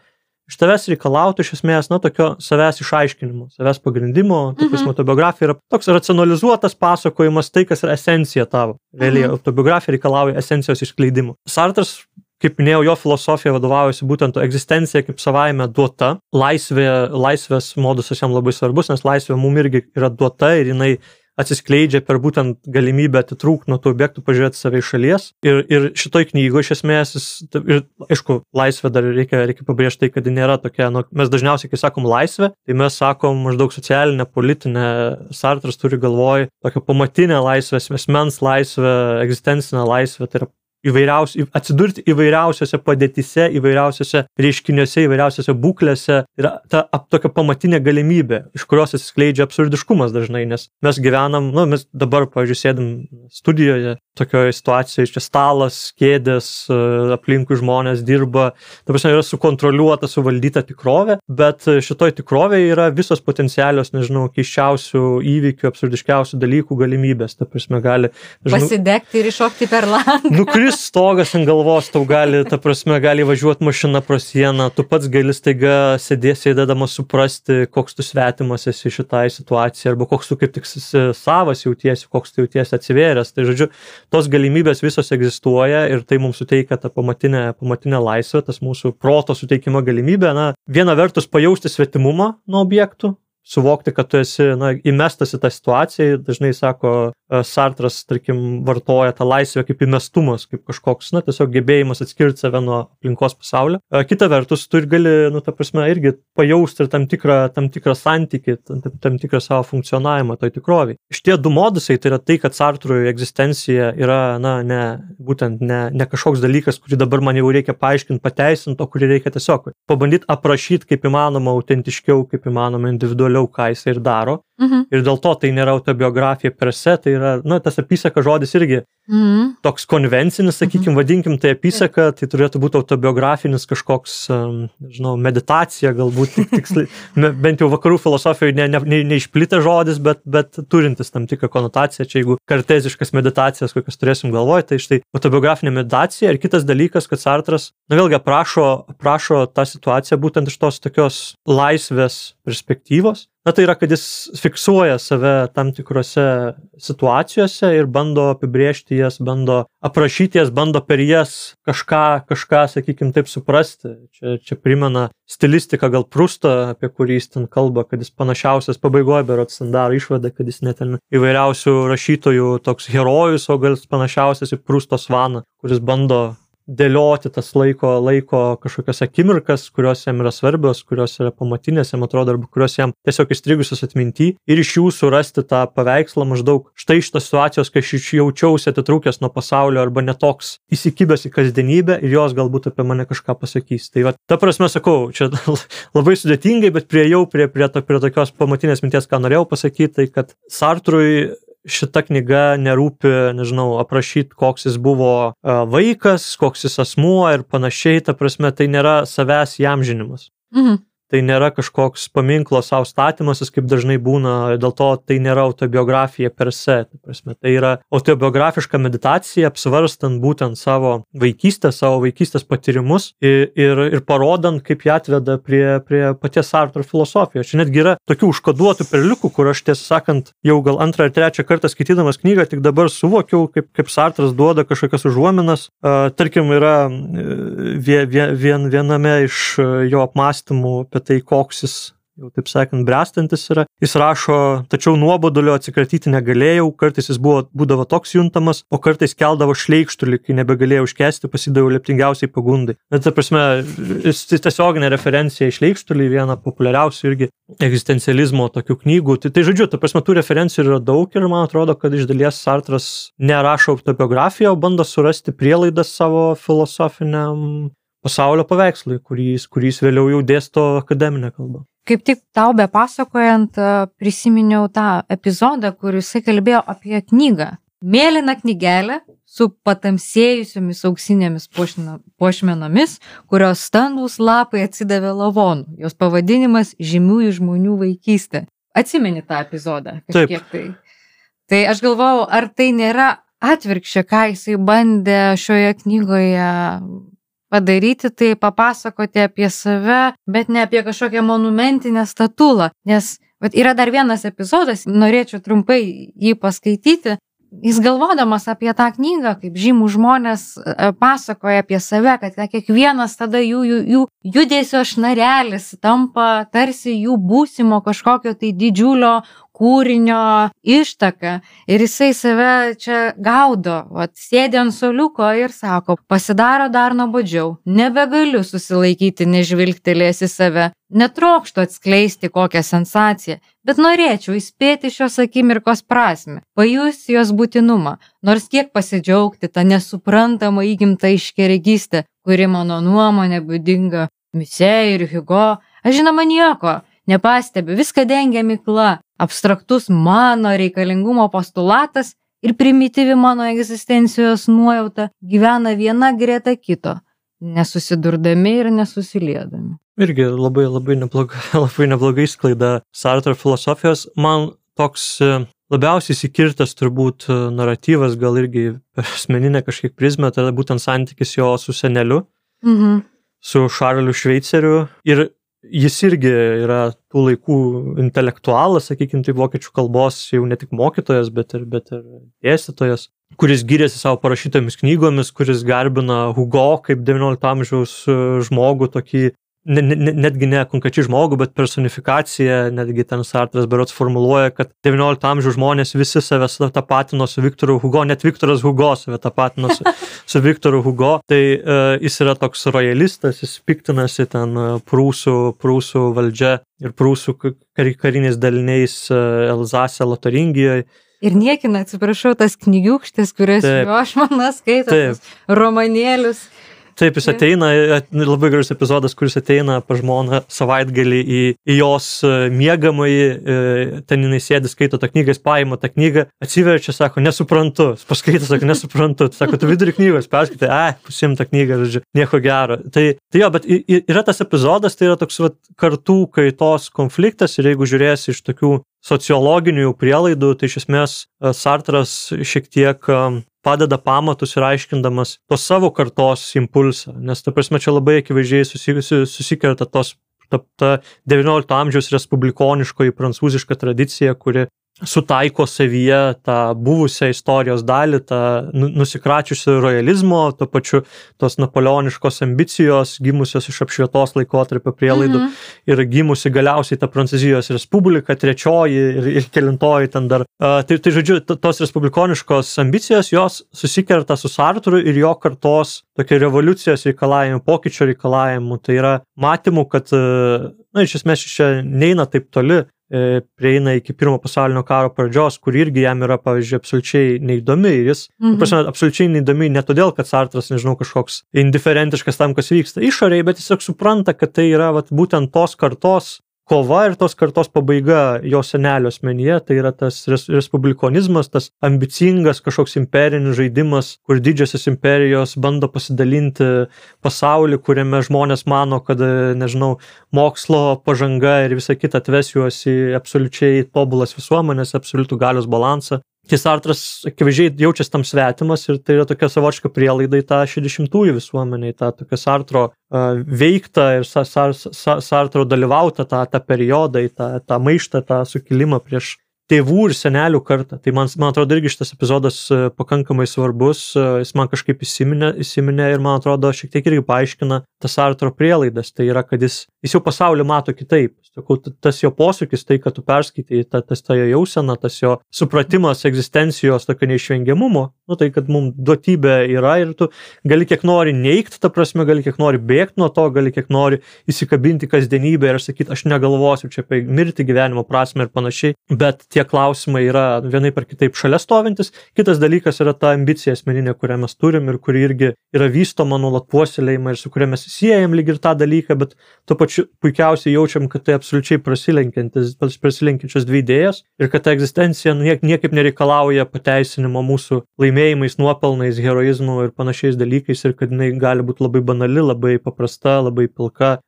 iš tavęs reikalautų iš esmės, na, tokio savęs išaiškinimo, savęs pagrindimo, mhm. tokius autobiografija yra toks racionalizuotas pasakojimas, tai, kas yra esencija tavo. Realiai, mhm. autobiografija reikalauja esencijos išskleidimo. Sartras, kaip minėjau, jo filosofija vadovaujasi būtent egzistencija kaip savaime duota. Laisvė, laisvės modusas jam labai svarbus, nes laisvė mum irgi yra duota ir jinai atsiskleidžia per būtent galimybę atitrūkti nuo tų objektų, pažiūrėti save iš šalies. Ir, ir šitoj knygoje iš esmės, ir, aišku, laisvė dar reikia, reikia pabrėžti tai, kad ji nėra tokia, nu, mes dažniausiai, kai sakom laisvė, tai mes sakom maždaug socialinę, politinę, Sartras turi galvoj tokią pamatinę laisvę, asmens laisvę, egzistencinę laisvę, tai yra įvairiausi, atsidurti įvairiausiose padėtise, įvairiausiose reiškiniuose, įvairiausiose būklėse yra ta ap, tokia pamatinė galimybė, iš kurios atsiskleidžia absurdiškumas dažnai, nes mes gyvenam, nu, mes dabar, pavyzdžiui, sėdim studijoje, tokioje situacijoje, čia stalas, kėdės, aplinkui žmonės dirba, ta prasme, yra sukontroliuota, suvaldyta tikrovė, bet šitoj tikrovėje yra visos potencialios, nežinau, keiščiausių įvykių, absurdiškiausių dalykų galimybės, ta prasme, gali žinau, pasidegti ir iššokti per langą. Nukris stogas ant galvos, tau gali, ta prasme, gali važiuoti mašina pro sieną, tu pats gali staiga sėdės, sėdėdamas suprasti, koks tu svetimas esi šitai situacijai, arba koks tu kaip tik savas jautiesi, koks tu jautiesi atsivėręs. Tai žodžiu, tos galimybės visos egzistuoja ir tai mums suteikia tą pamatinę, pamatinę laisvę, tas mūsų proto suteikimo galimybę, na, viena vertus pajausti svetimumą nuo objektų, suvokti, kad tu esi, na, įmestas į tą situaciją, dažnai sako, Sartras, tarkim, vartoja tą laisvę kaip įmestumas, kaip kažkoks, na, tiesiog gebėjimas atskirti save nuo aplinkos pasaulio. Kita vertus, tu ir gali, nu, ta prasme, irgi pajausti ir tam tikrą, tam tikrą santykį, tam, tam tikrą savo funkcionavimą toj tikroviai. Šitie du modusai, tai yra tai, kad Sartrui egzistencija yra, na, ne, būtent ne, ne kažkoks dalykas, kurį dabar man jau reikia paaiškinti, pateisinti, o kurį reikia tiesiog pabandyti aprašyti kaip įmanoma autentiškiau, kaip įmanoma individualiau, ką jis ir daro. Mhm. Ir dėl to tai nėra autobiografija per se, tai yra, na, tas apysaka žodis irgi mhm. toks konvencinis, sakykim, mhm. vadinkim tai apysaka, tai turėtų būti autobiografinis kažkoks, žinau, meditacija, galbūt tik tiksliai, bent jau vakarų filosofijoje ne, ne, ne, neišplitę žodis, bet, bet turintis tam tikrą konotaciją, čia jeigu karteziškas meditacijas, kokias turėsim galvoj, tai štai autobiografinė meditacija ir kitas dalykas, kad Sartras, na vėlgi, aprašo, aprašo tą situaciją būtent iš tos tokios laisvės perspektyvos. Na, tai yra, kad jis fiksuoja save tam tikrose situacijose ir bando apibrėžti jas, bando aprašyti jas, bando per jas kažką, kažką, sakykim, taip suprasti. Čia, čia primena stilistiką gal Prustą, apie kurį jis ten kalba, kad jis panašiausias pabaigoje, berods ten daro išvadą, kad jis net ten įvairiausių rašytojų toks herojus, o gal panašiausias į Prusto Svaną, kuris bando dėlioti tas laiko, laiko kažkokias akimirkas, kurios jam yra svarbios, kurios yra pamatinės, jam atrodo, arba kurios jam tiesiog įstrigusios atminty ir iš jų surasti tą paveikslą maždaug štai šitos situacijos, kai aš jaučiausi atitrūkęs nuo pasaulio arba netoks įsikibęs į kasdienybę ir jos galbūt apie mane kažką pasakys. Tai va, ta prasme sakau, čia labai sudėtingai, bet priejau prie, prie, to, prie tokios pamatinės minties, ką norėjau pasakyti, tai kad Sartrui šita knyga nerūpi, nežinau, aprašyti, koks jis buvo vaikas, koks jis asmuo ir panašiai, ta prasme, tai nėra savęs įamžinimas. Mhm. tai nėra kažkoks paminklo savo statymasis, kaip dažnai būna, dėl to tai nėra autobiografija per se. Tai, prasme, tai yra autobiografiška meditacija, apsvarstant būtent savo vaikystę, savo vaikystės patyrimus ir, ir, ir parodant, kaip jie atveda prie, prie paties Sartro filosofijos. Čia netgi yra tokių užkoduotų perliukų, kur aš tiesą sakant, jau gal antrą ar trečią kartą skaitydamas knygą, tik dabar suvokiau, kaip, kaip Sartras duoda kažkokias užuominas. Uh, tarkim, yra vien, vien, viename iš jo apmąstymų apie tai, koks jis, jau taip sakant, bręstantis yra. Jis rašo, tačiau nuobodulio atsikratyti negalėjau, kartais jis buvo, būdavo toks juntamas, o kartais keldavo šleikštulį, kai nebegalėjau iškęsti, pasidaviau leptingiausiai pagundai. Bet, ta prasme, jis tiesioginė referencija į šleikštulį, viena populiariausių irgi egzistencializmo tokių knygų. Tai, tai žodžiu, ta prasme, tų referencijų yra daug ir man atrodo, kad iš dalies Sartras nerašo autobiografiją, o bando surasti prielaidas savo filosofiniam pasaulio paveikslui, kurį jis vėliau jau dėsto akademinę kalbą. Kaip tik tau be pasakojant, prisiminiau tą epizodą, kur jisai kalbėjo apie knygą. Mėlyna knygelė su patamsėjusiomis auksinėmis puošmenomis, kurios standūs lapai atsidavė lavonų. Jos pavadinimas žymiųjų žmonių vaikystė. Atsimeni tą epizodą? Taip. Tai. tai aš galvojau, ar tai nėra atvirkščia, ką jisai bandė šioje knygoje padaryti, tai papasakoti apie save, bet ne apie kažkokią monumentinę statulą. Nes vat, yra dar vienas epizodas, norėčiau trumpai jį paskaityti. Jis galvodamas apie tą knygą, kaip žymų žmonės pasakoja apie save, kad kiekvienas tada jų, jų, jų judesio šnarelis tampa tarsi jų būsimo kažkokio tai didžiulio kūrinio ištaka. Ir jisai save čia gaudo, vat, sėdė ant suoliuko ir sako, pasidaro dar nuobodžiau, nebegaliu susilaikyti nežvilgtelėjęs į save, netrokštų atskleisti kokią sensaciją, bet norėčiau įspėti šios akimirkos prasmę, pajusti jos būtinumą, nors kiek pasidžiaugti tą nesuprantamą įgimtą iškeregystę, kuri mano nuomonė būdinga Misė ir Hugo. Aš žinoma nieko nepastebiu, viską dengia migla, abstraktus mano reikalingumo postulatas ir primityvi mano egzistencijos nuojauta gyvena viena greta kito, nesusidurdami ir nesusiliedami. Irgi labai, labai neblogai, labai neblogai sklaida Sartro filosofijos. Man toks labiausiai įsikirtas turbūt naratyvas, gal irgi per asmeninę kažkiek prizmę, tai būtent santykis jo su seneliu, mhm. su Šarliu Šveiceriu. Ir jis irgi yra tų laikų intelektualas, sakykime, tai vokiečių kalbos jau ne tik mokytojas, bet ir, bet ir dėstytojas, kuris gyrėsi savo parašytomis knygomis, kuris garbina Hugo kaip devyniolikto amžiaus žmogų, tokį, ne, ne, netgi ne konkrečiai žmogų, bet personifikacija, netgi ten Sartras berods formuluoja, kad devyniolikto amžiaus žmonės visi save tapatino su Viktoru Hugo, net Viktoras Hugo save tapatino su, su Viktoru Hugo. Tai uh, jis yra toks rojalistas, jis piktinasi ten uh, prūsų, prūsų valdžia ir prūsų kar, kariniais daliniais uh, Elzase, Lotaringijoje. Ir niekina, atsiprašau, tas knygiukštis, kurias jo žmona skaito, romanėlius. Taip, jis ateina, labai gražus epizodas, kuris ateina pa žmoną savaitgalį į, į jos miegamąjį, ten jinai sėdi, skaito tą knygą, jis paima tą knygą, atsiverčia, sako, nesuprantu, paskaito, sako, nesuprantu, sako, tu vidurį knygos perskaitai, ai, pusim tą knygą, žodžiu, nieko gero. Tai, tai jo, bet yra tas epizodas, tai yra toks vat, kartų kaitos konfliktas ir jeigu žiūrėsi iš tokių sociologinių prielaidų, tai iš esmės Sartras šiek tiek padeda pamatus ir aiškindamas tos savo kartos impulsą, nes ta prasme čia labai akivaizdžiai susikerta tos, ta, ta devyniolikto amžiaus respublikoniškoji prancūziška tradicija, kuri sutaiko savyje tą buvusią istorijos dalį, tą nusikračiusią rojalizmo, to pačiu tos napoleoniškos ambicijos, gimusios iš apšvietos laikotarpio prielaidų mhm. ir gimusi galiausiai ta Prancūzijos respublika, trečioji ir, ir kelintoji ten dar. Uh, tai, tai žodžiu, tos respublikoniškos ambicijos, jos susikerta su Sartru ir jo kartos tokia revoliucijos reikalavimu, pokyčio reikalavimu. Tai yra matymų, kad, uh, na, iš esmės čia neina taip toli, prieina iki pirmo pasaulinio karo pradžios, kur irgi jam yra, pavyzdžiui, absoliučiai neįdomi ir jis, mhm. prasme, absoliučiai neįdomi ne todėl, kad Sartras, nežinau, kažkoks indiferentiškas tam, kas vyksta išorėje, bet jis tiesiog supranta, kad tai yra vat, būtent tos kartos, kova ir tos kartos pabaiga jo senelio asmenyje, tai yra tas res, respublikonizmas, tas ambicingas kažkoks imperinis žaidimas, kur didžiosios imperijos bando pasidalinti pasaulį, kuriame žmonės mano, kad, nežinau, mokslo pažanga ir visa kita atves juos į absoliučiai tobulas visuomenės, absoliutų galios balansą. Tai Sartras akivaizdžiai jaučiasi tam svetimas ir tai yra tokia savotiška prielaida į tą šešiasdešimtųjų visuomenę, į tą tokią Sartro uh, veiktą ir sa, sa, sa, Sartro dalyvautą tą, tą periodą, į tą, tą maištą, tą sukilimą prieš tėvų ir senelių kartą. Tai man, man atrodo irgi šitas epizodas pakankamai svarbus, jis man kažkaip įsiminė, įsiminė ir man atrodo šiek tiek irgi paaiškina tas Sartro prielaidas. Tai yra, kad jis, jis jau pasaulį mato kitaip. Tas jo posūkis, tai, kad tu perskaitai, ta, tas ta jo jausena, tas jo supratimas egzistencijos tokio neišvengiamumo, nu tai, kad mums duotybė yra ir tu gali kiek nori neigti, ta prasme, gali kiek nori bėgti nuo to, gali kiek nori įsikabinti kasdienybę ir sakyti, aš negalvosiu čia apie mirtį, gyvenimo prasmę ir panašiai, bet tie klausimai yra vienaip ar kitaip šalia stovintis. Kitas dalykas yra ta ambicija asmeninė, kurią mes turim ir kuri irgi yra vystoma nuolat puoselėjama ir su kuria mes siejam lyg ir tą dalyką, bet tuo pačiu puikiausiai jaučiam, kad tai absoliučiai prasilenkiančios dvi idėjas ir kad ta egzistencija niek, niekaip nereikalauja pateisinimo mūsų laimėjimais, nuopelnais, heroizmu ir panašiais dalykais ir kad jinai gali būti labai banali, labai paprasta, labai pilka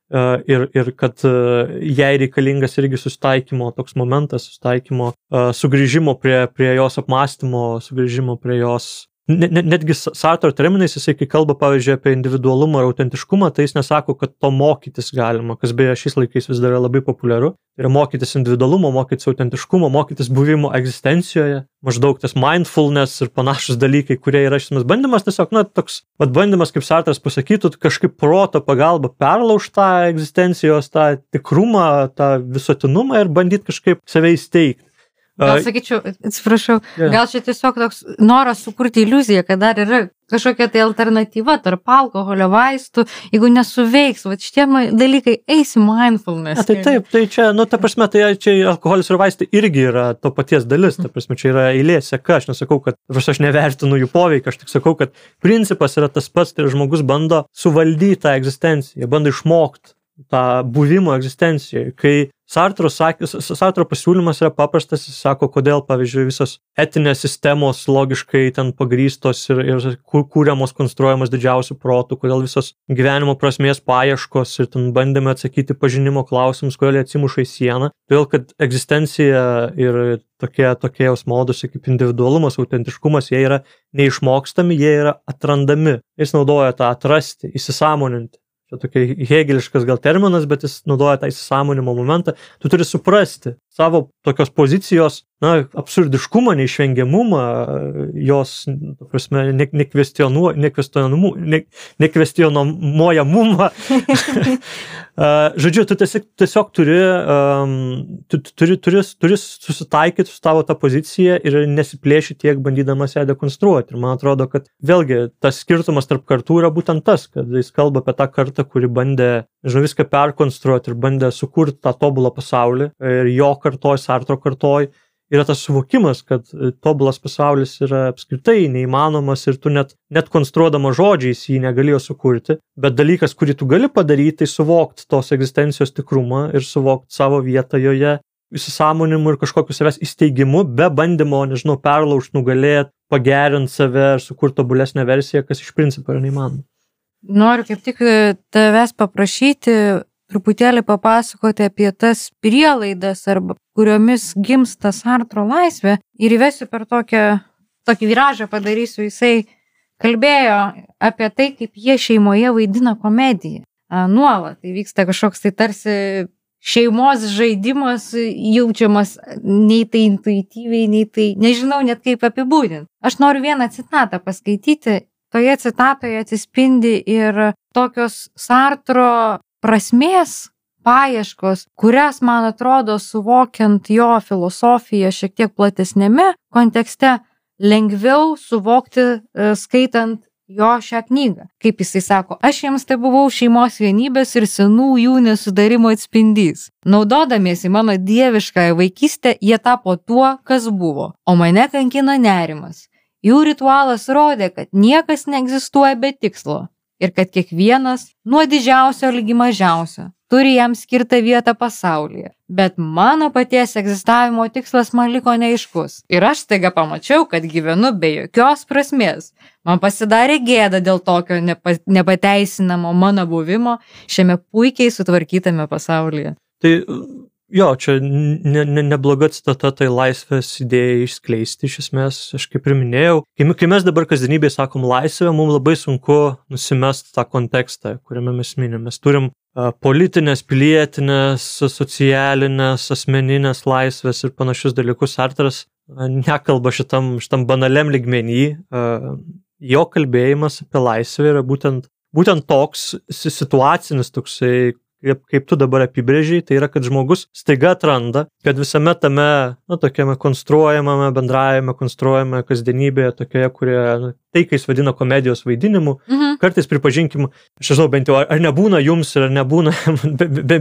ir, ir kad jai reikalingas irgi susitaikymo toks momentas, susitaikymo, sugrįžimo prie, prie jos apmąstymo, sugrįžimo prie jos. Netgi Sartro terminais jisai, kai kalba, pavyzdžiui, apie individualumą ir autentiškumą, tai jis nesako, kad to mokytis galima, kas beje šiais laikais vis dar yra labai populiaru. Tai yra mokytis individualumo, mokytis autentiškumo, mokytis buvimo egzistencijoje, maždaug tas mindfulness ir panašus dalykai, kurie yra šis bandymas, tiesiog, na, toks, vat bandymas, kaip Sartras pasakytų, kažkaip proto pagalba perlaužti tą egzistencijos, tą tikrumą, tą visuotinumą ir bandyti kažkaip save įsteigti. Gal sakyčiau, atsiprašau, yeah. gal čia tiesiog toks noras sukurti iliuziją, kad dar yra kažkokia tai alternatyva tarp alkoholio, vaistų, jeigu nesuveiks, va šitie dalykai eis į mindfulness. Ja, tai taip, tai čia, nu, ta prasme, tai čia alkoholis ir vaistai irgi yra to paties dalis, ta prasme, čia yra eilė seka, aš nesakau, kad aš nevertinu jų poveikį, aš tik sakau, kad principas yra tas pats, tai žmogus bando suvaldyti tą egzistenciją, bando išmokti tą buvimo egzistencijoje, kai Sartro, Sartro pasiūlymas yra paprastas, jis sako, kodėl, pavyzdžiui, visos etinės sistemos logiškai ten pagrįstos ir, ir kūriamos, konstruojamos didžiausių protų, kodėl visos gyvenimo prasmės paieškos ir ten bandėme atsakyti pažinimo klausimus, kodėl jie atsimuša į sieną, todėl, kad egzistencija ir tokie, tokie jos modusai kaip individualumas, autentiškumas, jie yra neišmokstami, jie yra atrandami. Jis naudoja tą atrasti, įsisąmoninti. Čia tokia hegeliškas gal terminas, bet jis naudoja tą įsisąmonimo momentą. Tu turi suprasti savo tokios pozicijos, na, absurdiškumą, neišvengiamumą, jos, ta prasme, nekvestionuo, nekvestionumu, ne, nekvestionuojamumą. Žodžiu, tu tiesiog, tiesiog turi, um, tu, turi, turi, turi susitaikyti su tavo tą poziciją ir nesiplėši tiek bandydamas ją dekonstruoti. Ir man atrodo, kad vėlgi tas skirtumas tarp kartų yra būtent tas, kad jis kalba apie tą kartą, kuri bandė, žinau, viską perkonstruoti ir bandė sukurti tą tobulą pasaulį ir jo kartoj, Sartro kartoj yra tas suvokimas, kad tobulas pasaulis yra apskritai neįmanomas ir tu net, net konstruodama žodžiais jį negalėjo sukurti, bet dalykas, kurį tu gali padaryti, tai suvokti tos egzistencijos tikrumą ir suvokti savo vietą joje, įsisąmonimu ir kažkokiu savęs įsteigimu, be bandymo, nežinau, perlaužti, nugalėti, pagerinti save ir sukurti tobulesnę versiją, kas iš principo yra neįmanoma. Noriu kaip tik tavęs paprašyti truputėlį papasakoti apie tas prielaidas, arba kuriomis gimsta Sartro laisvė ir įvesiu per tokią, tokį viražą padarysiu. Jisai kalbėjo apie tai, kaip jie šeimoje vaidina komediją. Nuolat tai vyksta kažkoks tai tarsi šeimos žaidimas, jaučiamas nei tai intuityviai, nei tai, nežinau net kaip apibūdinti. Aš noriu vieną citatą paskaityti. Toje citatoje atsispindi ir tokios Sartro prasmės paieškos, kurias, man atrodo, suvokiant jo filosofiją šiek tiek platesnėme kontekste, lengviau suvokti skaitant jo šią knygą. Kaip jisai sako, aš jiems tai buvau šeimos vienybės ir senų jų nesudarimo atspindys. Naudodamiesi mano dieviškąją vaikystę, jie tapo tuo, kas buvo, o mane kankino nerimas. Jų ritualas rodė, kad niekas neegzistuoja be tikslo ir kad kiekvienas nuo didžiausio ligi mažiausio turi jam skirtą vietą pasaulyje. Bet mano paties egzistavimo tikslas man liko neaiškus. Ir aš staiga pamačiau, kad gyvenu be jokios prasmės. Man pasidarė gėda dėl tokio nepa, nepateisinamo mano buvimo šiame puikiai sutvarkytame pasaulyje. Tai jo, čia ne, ne, nebloga citata, tai laisvės idėja išskleisti iš esmės, aš kaip ir minėjau. Kai, kai mes dabar kasdienybėje sakom laisvę, mums labai sunku nusimest tą kontekstą, kuriame mes minim. Mes turim uh, politinės, pilietinės, socialinės, asmeninės laisvės ir panašius dalykus. Sartras uh, nekalba šitam, šitam banaliam lygmenį. Uh, jo kalbėjimas apie laisvę yra būtent, būtent toks situacinis toksai, Kaip, kaip tu dabar apibrėžiai, tai yra, kad žmogus staiga atranda, kad visame tame, na, tokiame konstruojamame, bendravime, konstruojame kasdienybėje, tokioje, kurie, na, tai, kai jis vadina komedijos vaidinimu, mhm. kartais pripažinkim, aš žinau, bent jau, ar nebūna jums, ar nebūna,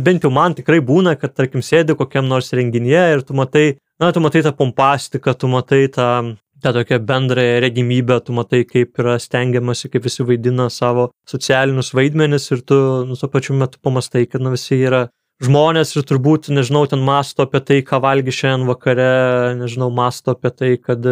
bent jau man tikrai būna, kad, tarkim, sėdi kokiam nors renginyje ir tu matai, na, tu matai tą pompastiką, tu matai tą tą tokią bendrąją regimybę, tu matai, kaip yra stengiamasi, kaip visi vaidina savo socialinius vaidmenis ir tu, nu, tuo pačiu metu pamastai, kad, na, visi yra žmonės ir turbūt, nežinau, ten masto apie tai, ką valgy šiandien vakare, nežinau, masto apie tai, kad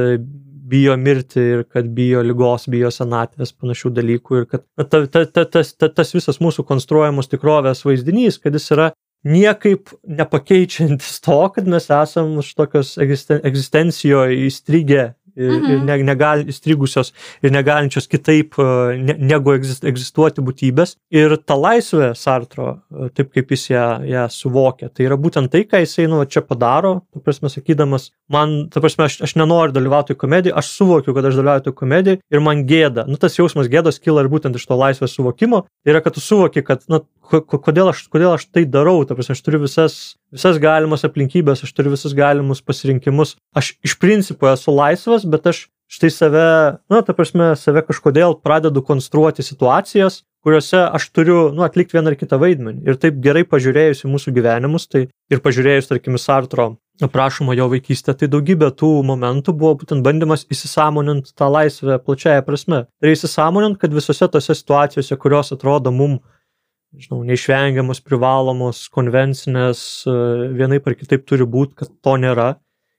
bijo mirti ir kad bijo ligos, bijo senatvės, panašių dalykų ir kad ta, ta, ta, tas, ta, tas visas mūsų konstruojamos tikrovės vaizdinys, kad jis yra niekaip nepakeičiantis to, kad mes esam už tokios egzisten, egzistencijoje įstrigę ir, mhm. ir ne, negal, įstrigusios ir negalinčios kitaip ne, negu egzistuoti būtybės. Ir ta laisvė Sartro, taip kaip jis ją, ją suvokia, tai yra būtent tai, ką jisai, nu, čia padaro, ta prasme, sakydamas, man, ta prasme, aš, aš nenoriu dalyvauti komediją, aš suvokiu, kad aš dalyvauju komediją ir man gėda. Nu, tas jausmas gėdos kyla ir būtent iš to laisvės suvokimo. Tai yra, kad tu suvoki, kad, na, kodėl aš, kodėl aš tai darau, ta prasme, aš turiu visas, visas galimas aplinkybės, aš turiu visus galimus pasirinkimus. Aš iš principo esu laisvas, bet aš štai save, na, ta prasme, save kažkodėl pradedu konstruoti situacijas, kuriuose aš turiu, nu, atlikti vieną ar kitą vaidmenį. Ir taip gerai pažiūrėjus į mūsų gyvenimus, tai ir pažiūrėjus, tarkim, Sartro aprašoma jo vaikystė, tai daugybė tų momentų buvo būtent bandymas įsisąmoninti tą laisvę plačiaja prasme. Tai įsisąmoninti, kad visose tose situacijose, kurios atrodo mum, žinau, neišvengiamos, privalomos, konvencinės, vienaip ar kitaip turi būti, kad to nėra.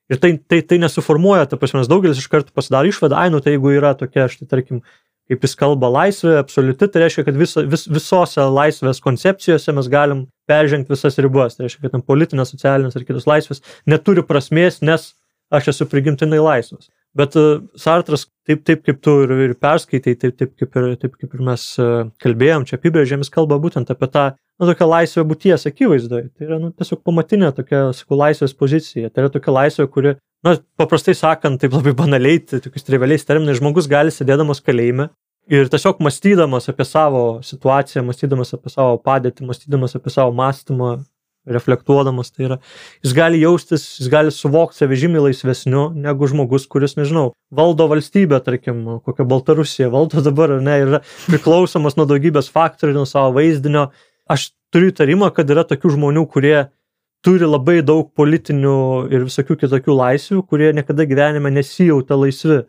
Ir tai, tai, tai nesuformuoja, ta prasme, daugelis iš karto pasidaro išvadą, ai, nu, tai jeigu yra tokia, štai, tarkim, kaip jis kalba laisvė, absoliuti, tai reiškia, kad viso, vis, visose laisvės koncepcijose mes galim peržengti visas ribas. Tai reiškia, kad ten politinės, socialinės ar kitos laisvės neturi prasmės, nes aš esu prigimtinai laisvas. Bet uh, Sartras, taip, taip kaip tu ir, ir perskaitai, taip, taip, kaip ir, taip kaip ir mes uh, kalbėjom, čia apibrėžėm, jis kalba būtent apie tą, nu, tokią laisvę būties akivaizdoje. Tai yra, nu, tiesiog pamatinė tokia, sakau, laisvės pozicija. Tai yra tokia laisvė, kuri, na, paprastai sakant, taip labai banaliai, tai tokius trivialiais terminais, žmogus gali sėdėdamas kalėjime ir tiesiog mąstydamas apie savo situaciją, mąstydamas apie savo padėtį, mąstydamas apie savo mąstymą, reflektuodamas, tai yra, jis gali jaustis, jis gali suvokti save žymiai laisvesniu negu žmogus, kuris, nežinau, valdo valstybę, tarkim, kokią Baltarusiją valdo dabar, ar ne, yra priklausomas nuo daugybės faktorių, nuo savo vaizdinio. Aš turiu įtarimą, kad yra tokių žmonių, kurie turi labai daug politinių ir visokių kitokių laisvių, kurie niekada gyvenime nesijauta laisvi.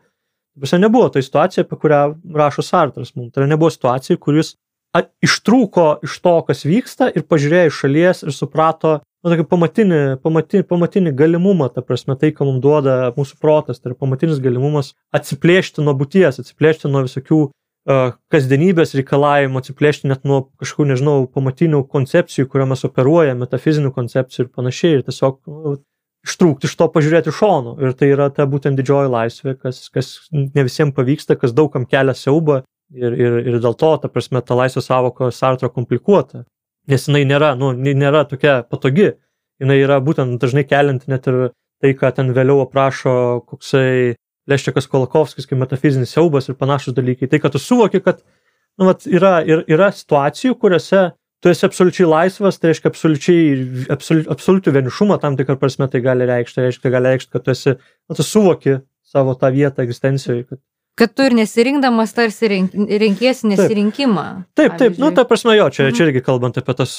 Visai nebuvo ta situacija, apie kurią rašo Sartras mums. Tai nebuvo situacija, kuris ištrūko iš to, kas vyksta ir pažiūrėjo iš šalies ir suprato, nu, tokį pamatinį, pamatinį, pamatinį galimumą, ta prasme, tai, ką mums duoda mūsų protas, tai yra pamatinis galimumas atsiplėšti nuo būties, atsiplėšti nuo visokių uh, kasdienybės reikalavimų, atsiplėšti net nuo kažkokių, nežinau, pamatinių koncepcijų, kuriuo mes operuojame, metafizinių koncepcijų ir panašiai, ir tiesiog, nu, ištrūkti iš to, pažiūrėti šonu. Ir tai yra ta būtent didžioji laisvė, kas, kas ne visiems pavyksta, kas daugam kelia siaubą. Ir, ir, ir dėl to, ta prasme, ta laisvės sąvoka Sartro komplikuota, nes jinai nėra, nu, nėra tokia patogi, jinai yra būtent dažnai kelianti net ir tai, ką ten vėliau aprašo koksai Leščikas Kolakovskis, kaip metafizinis siaubas ir panašus dalykai. Tai, kad tu suvoki, kad, nu, vat, yra, ir, yra situacijų, kuriuose tu esi absoliučiai laisvas, tai reiškia absoliučiai, absoliu, absoliutų vienišumą, tam tikrą prasme tai gali reikšti, tai reiškia, gali reikšti, kad tu esi, nu, tu suvoki savo tą vietą egzistencijoje, kad Kad tu ir nesirinkdamas tarsi rink, renkiesi nesirinkimą. Taip, taip, taip, nu, ta prasme, jo, čia, čia irgi kalbant apie tas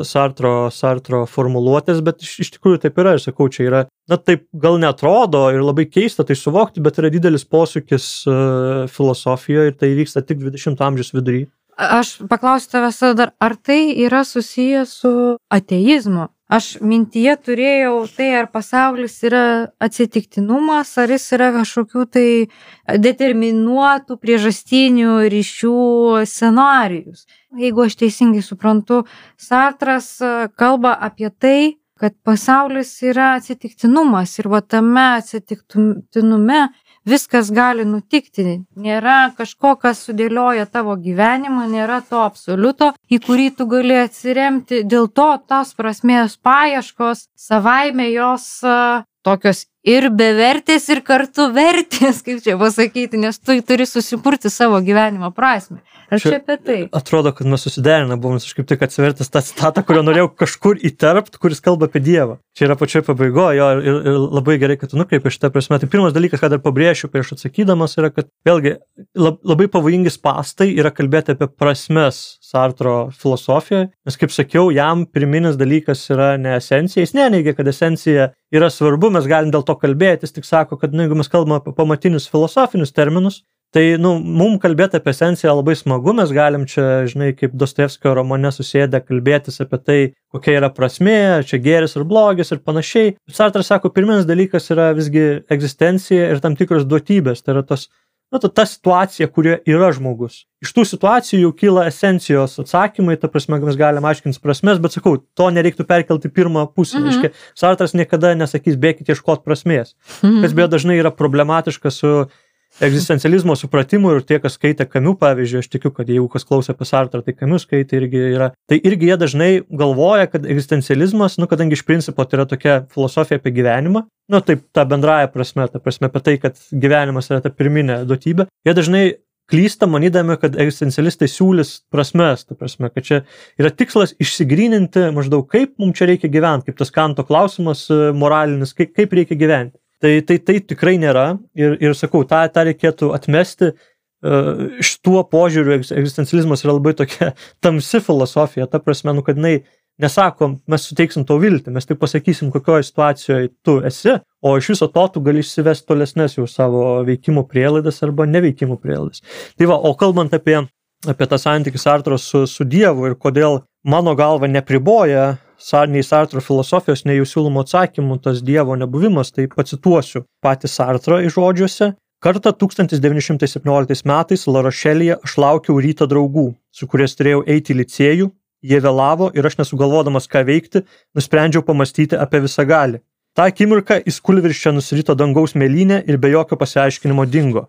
Sartro, Sartro formuluotės, bet iš, iš tikrųjų taip yra, aš sakau, čia yra, na, taip gal neatrodo ir labai keista tai suvokti, bet yra didelis posūkis uh, filosofijoje ir tai vyksta tik dvidešimto amžiaus vidury. Aš paklausiu tavęs dar, ar tai yra susijęs su ateizmu? Aš mintyje turėjau tai, ar pasaulis yra atsitiktinumas, ar jis yra kažkokių tai determinuotų priežastinių ryšių scenarijus. Jeigu aš teisingai suprantu, Sartras kalba apie tai, kad pasaulis yra atsitiktinumas ir va tame atsitiktinume viskas gali nutikti. Nėra kažko, kas sudėlioja tavo gyvenimą, nėra to absoliuto, į kurį tu gali atsiremti. Dėl to tos prasmės paieškos savaime jos uh, tokios ir bevertės, ir kartu vertės, kaip čia pasakyti, nes tu turi susikurti savo gyvenimo prasmę. Ar čia apie tai? Atrodo, kad mes susiderina, buvom aš kaip tik atsivertęs tą citatą, kurio norėjau kažkur įterpt, kuris kalba apie Dievą. Čia yra pačioj pabaigoje, jo, ir, ir labai gerai, kad tu nukreipi šitą prasme. Tai pirmas dalykas, ką dar pabrėšiu prieš atsakydamas, yra, kad vėlgi labai pavojingi spastai yra kalbėti apie prasmes Sartro filosofijoje, nes kaip sakiau, jam pirminis dalykas yra ne esencija, jis neneigia, kad esencija yra svarbu, mes galim dėl to kalbėti, jis tik sako, kad nu, jeigu mes kalbame apie pamatinius filosofinius terminus, tai, nu, mums kalbėti apie esenciją labai smagu, mes galim čia, žinai, kaip Dostojevskio romane susėdę kalbėtis apie tai, kokia yra prasmė, čia gėris ir blogis ir panašiai. Sartras sako, pirminis dalykas yra visgi egzistencija ir tam tikros duotybės, tai yra tos, nu, ta situacija, kurioje yra žmogus. Iš tų situacijų jau kyla esencijos atsakymai, ta prasme, mes galim aiškinti prasmės, bet sakau, to nereiktų perkelti pirmą pusę. Mhm. Reiškia, Sartras niekada nesakys, bėkit ieškoti prasmės. Mhm. Kas beje dažnai yra problematiška su egzistencializmo supratimu ir tie, kas skaitė Kamiu, pavyzdžiui, aš tikiu, kad jeigu kas klauso apie Sartrą, tai Kamiu skaitė irgi yra. Tai irgi jie dažnai galvoja, kad egzistencializmas, nu, kadangi iš principo tai yra tokia filosofija apie gyvenimą, nu, taip, ta bendraja prasme, ta prasme apie tai, kad gyvenimas yra ta pirminė duotybė, jie dažnai klysta manydami, kad egzistencialistai siūlys prasmes, ta prasme, kad čia yra tikslas išsigryninti maždaug, kaip mums čia reikia gyventi, kaip tas Kanto klausimas moralinis, kaip, kaip reikia gyventi. Tai, tai, tai tikrai nėra ir, ir sakau, tą, tą reikėtų atmesti. Iš tuo požiūriu egzistencializmas yra labai tokia tamsi filosofija, ta prasme, nu, kad jinai nesako, mes suteiksim tau viltį, mes tik pasakysim, kokioje situacijoje tu esi, o iš viso to tu gali išsivesti tolesnes jau savo veikimo prielaidas arba neveikimo prielaidas. Tai va, o kalbant apie, apie tą santykį Sartro su, su Dievu ir kodėl mano galva nepriboja nei Sartro filosofijos, nei jų siūlomų atsakymų, tas Dievo nebuvimas, tai pacituosiu patį Sartrą iš žodžiuose. Kartą tūkstantis devyni šimtai septynioliktais metais La Rošelyje aš laukiau ryto draugų, su kuriais turėjau eiti į licėjų, jie vėlavo ir aš nesugalvodamas ką veikti, nusprendžiau pamastyti apie visagalį. Ta akimirka į skulvirščią nusirito dangaus mėlynė ir be jokio pasiaiškinimo dingo.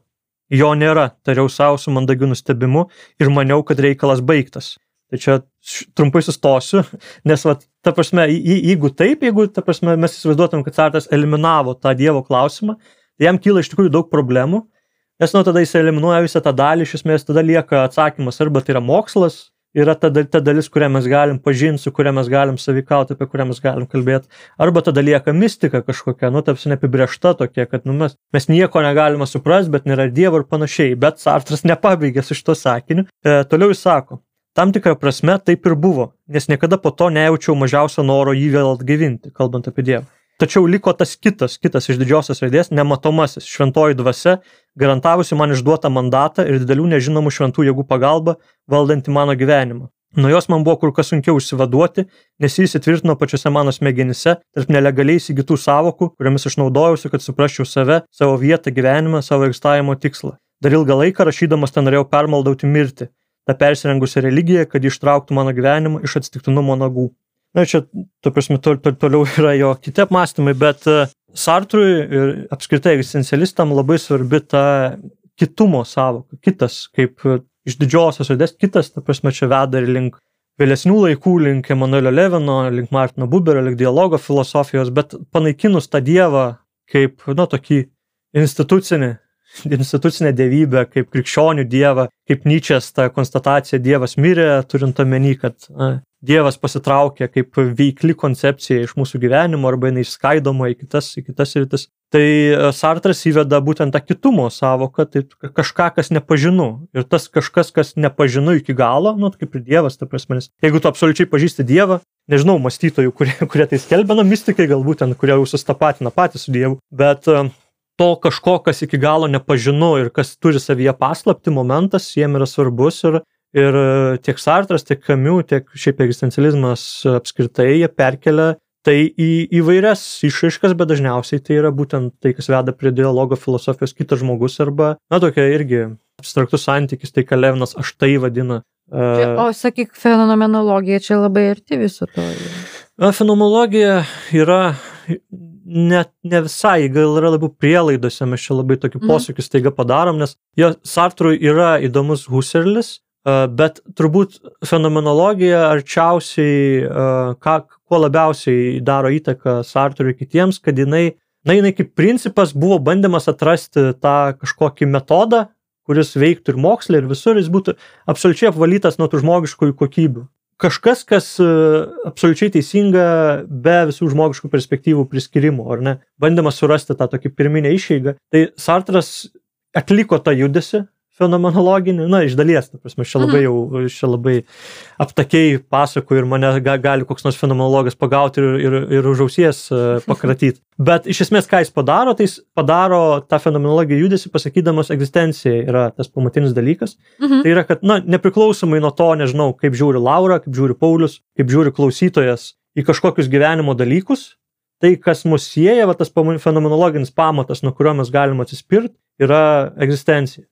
Jo nėra, tariau savo su mandagiu nustebimu ir maniau, kad reikalas baigtas. Tai čia trumpai sustosiu, nes, va, ta prasme, jeigu taip, jeigu, ta prasme, mes įsivaizduotum, kad Sartras eliminavo tą Dievo klausimą, tai jam kyla iš tikrųjų daug problemų, nes, nu, tada jis eliminuoja visą tą dalį, iš esmės tada lieka atsakymas, arba tai yra mokslas, yra ta, ta dalis, kurią mes galim pažinti, su kuria mes galim savikauti, apie kurią mes galim kalbėti, arba tada lieka mistika kažkokia, nu, tarsi neapibrėžta tokia, kad, nu, mes, mes nieko negalime suprasti, bet nėra Dievo ir panašiai, bet Sartras nepabaigė su šito sakiniu. E, toliau jis sako, tam tikrą prasme taip ir buvo, nes niekada po to nejaučiau mažiausio noro jį vėl atgaivinti, kalbant apie Dievą. Tačiau liko tas kitas, kitas iš didžiosios raidės, nematomasis, šventoji dvasia, garantavusi man išduotą mandatą ir didelių nežinomų šventų jėgų pagalba, valdanti mano gyvenimą. Nuo jos man buvo kur kas sunkiau išsivaduoti, nes jis įtvirtino pačiose mano smegenyse tarp nelegaliai įsigytų sąvokų, kuriomis aš naudojausi, kad suprasčiau save, savo vietą gyvenime, savo egzistavimo tikslą. Dar ilgą laiką rašydamas ten norėjau permaldauti mirtį, tą persirengusią religiją, kad ištrauktų mano gyvenimą iš atsitiktinumo nagų. Na, čia, to prasme, to, to, toliau yra jo kiti apmąstymai, bet uh, Sartrui ir apskritai egzistencialistam labai svarbi ta kitumo sąvoka, kitas, kaip uh, iš didžiosios raidės, kitas, ta prasme, čia veda ir link vėlesnių laikų, link Emanuelio Levino, link Martino Buberio, link dialogo filosofijos, bet panaikinus tą Dievą kaip, nu, tokį institucinį, institucinę dievybę, kaip krikščionių dievą, kaip Nyčės ta konstatacija Dievas mirė, turint omeny, kad a, Dievas pasitraukė kaip veikli koncepcija iš mūsų gyvenimo arba jinai išskaidoma į kitas, į kitas rytis. Tai Sartras įveda būtent tą kitumo sąvoką, tai kažką, kas nepažinu. Ir tas kažkas, kas nepažinu iki galo, nu, kaip ir Dievas, ta prasme, nes jeigu tu absoliučiai pažįsti Dievą, nežinau, mąstytojų, kurie, kurie tai skelbia, na, mistikai galbūt ten, kurie jau sustapatina patys su Dievu, bet to kažko, kas iki galo nepažinu ir kas turi savyje paslapti momentas, jiem yra svarbus ir, Ir tiek Sartras, tiek Camus, tiek šiaip egzistencializmas apskritai, jie perkelia tai į įvairias išraiškas, bet dažniausiai tai yra būtent tai, kas veda prie dialogo filosofijos kitas žmogus arba, na, tokia irgi abstraktus santykis, tai ką Levinas aš tai vadina. Čia, o sakyk, fenomenologija čia labai arti viso to. Fenomenologija yra ne, ne visai, gal yra labiau prielaidose, mes čia labai tokį posūkį staiga padarom, nes jo Sartrui yra įdomus Husserlis, bet turbūt fenomenologija arčiausiai, ką, kuo labiausiai daro įtaką Sartrui kitiems, kad jinai, na, jinai kaip principas buvo bandymas atrasti tą kažkokį metodą, kuris veiktų ir moksle, ir visur, jis būtų absoliučiai apvalytas nuo tų žmogiškųjų kokybių. Kažkas, kas absoliučiai teisinga be visų žmogiškų perspektyvų priskirimo, ar ne? Bandymas surasti tą tokį pirminę išeigą. Tai Sartras atliko tą judesį fenomenologinį, na, iš dalies, ta prasme, čia labai jau, čia labai aptakiai pasakoju ir mane ga, gali koks nors fenomenologas pagauti ir, ir, ir už ausies pakratyti. Bet iš esmės, ką jis padaro, tai jis padaro tą fenomenologiją judesį, pasakydamas egzistencija yra tas pamatinis dalykas. Mhm. Tai yra, kad, na, nepriklausomai nuo to, nežinau, kaip žiūri Laura, kaip žiūri Paulius, kaip žiūri klausytojas į kažkokius gyvenimo dalykus, tai, kas mus sieja, va, tas fenomenologinis pamatas, nuo kurio mes galime atsispirti, yra egzistencija.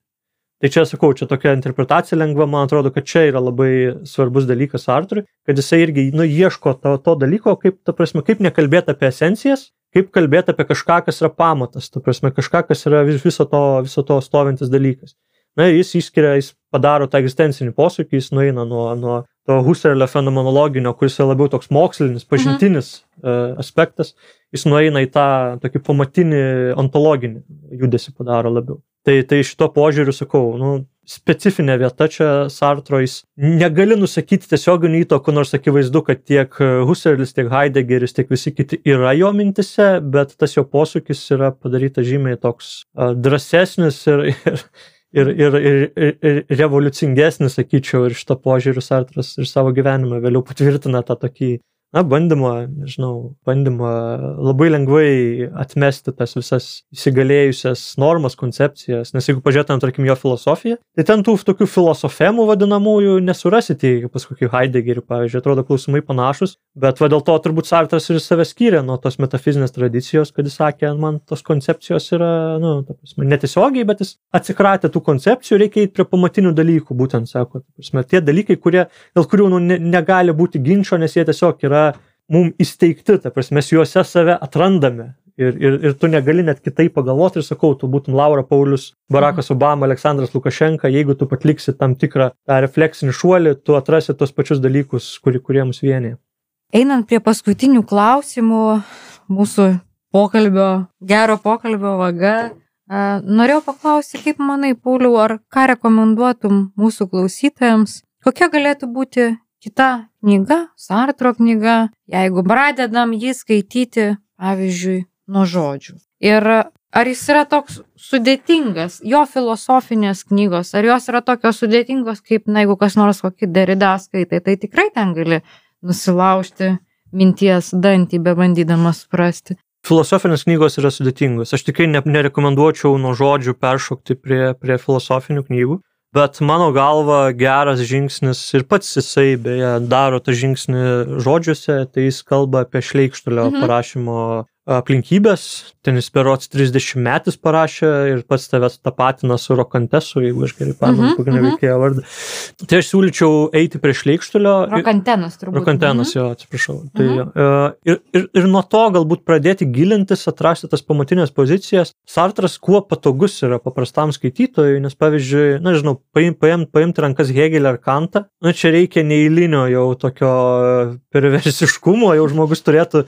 Tai čia, sakau, čia tokia interpretacija lengva, man atrodo, kad čia yra labai svarbus dalykas Sartrui, kad jisai irgi, nu, ieško to, to dalyko, kaip, ta prasme, kaip nekalbėti apie esencijas, kaip kalbėti apie kažką, kas yra pamatas, ta prasme, kažką, kas yra viso to, viso to stovintis dalykas. Na, jis išskiria, jis padaro tą egzistencinį posūkį, jis nueina nuo, nuo to Husserlio fenomenologinio, kuris yra labiau toks mokslinis, pažintinis mhm. aspektas, jis nueina į tą tokį pamatinį ontologinį judesį padaro labiau. Tai, tai šito požiūriu, sakau, nu, specifinė vieta čia Sartro, jis negali nusakyti tiesioginių įtakų, nors akivaizdu, kad tiek Husserlis, tiek Heideggeris, tiek visi kiti yra jo mintise, bet tas jo posūkis yra padarytas žymiai toks uh, drąsesnis ir, ir, ir, ir, ir, ir revoliucingesnis, sakyčiau, ir šito požiūriu Sartras ir savo gyvenimą vėliau patvirtina tą tokį, na, bandymą, nežinau, bandymą labai lengvai atmesti tas visas įsigalėjusias normas, koncepcijas, nes jeigu pažiūrėtum, tarkim, jo filosofiją, tai ten tų tokių filosofemų vadinamųjų nesurasite, pas kokį Heideggerį, pavyzdžiui, atrodo klausimai panašus, bet va dėl to turbūt Sartras ir save skyrė nuo tos metafizinės tradicijos, kad jis sakė, man tos koncepcijos yra, nu, ta prasme, netiesiogiai, bet jis atsikratė tų koncepcijų, reikia eiti prie pamatinių dalykų, būtent, sako, ta prasme, tie dalykai, kurie, dėl kurių, nu, ne, negali būti ginčo, nes jie tiesiog yra mum įsteigti, ta prasme, mes juose save atrandame ir, ir, ir tu negali net kitaip pagalvoti ir sakau, tu būtum Laura, Paulius, Barakas Obama, Aleksandras Lukašenka, jeigu tu patliksi tam tikrą tą refleksinį šuolį, tu atrasi tos pačius dalykus, kurie, kurie mus vienyje. Einant prie paskutinių klausimų mūsų pokalbio, gero pokalbio vaga, norėjau paklausti, kaip manai, Pauliau, ar ką rekomenduotum mūsų klausytojams, kokia galėtų būti kita knyga, Sartro knyga, jeigu pradedam jį skaityti, pavyzdžiui, nuo žodžių. Ir ar jis yra toks sudėtingas, jo filosofinės knygos, ar jos yra tokios sudėtingos, kaip, na, jeigu kas nors kokį Derrida skaitai, tai tikrai ten gali nusilaužti minties dantį, bebandydamas suprasti. Filosofinės knygos yra sudėtingos. Aš tikrai ne, nerekomenduočiau nuo žodžių peršokti prie, prie filosofinių knygų. Bet mano galva geras žingsnis ir pats jisai beje daro tą žingsnį žodžiuose, tai jis kalba apie Šleikštulio mhm. parašymo aplinkybės, ten jis berods trisdešimt metais parašė ir pats tavęs tapatina su Rokantesu, jeigu aš gerai pamenu, mhm, kokią mhm. veikėją vardą. Tai aš siūlyčiau eiti prie Šleikštulio. Rokantenas turbūt. Rokantenas, mhm. jo, atsiprašau. Tai, mhm. ir, ir, ir nuo to galbūt pradėti gilintis, atrasti tas pamatinės pozicijas. Sartras kuo patogus yra paprastam skaitytojui, nes pavyzdžiui, na, žinau, paim, paim, paimti rankas Hegelį ar Kantą, na, čia reikia neeilinio jau tokio perversiškumo, jau žmogus turėtų,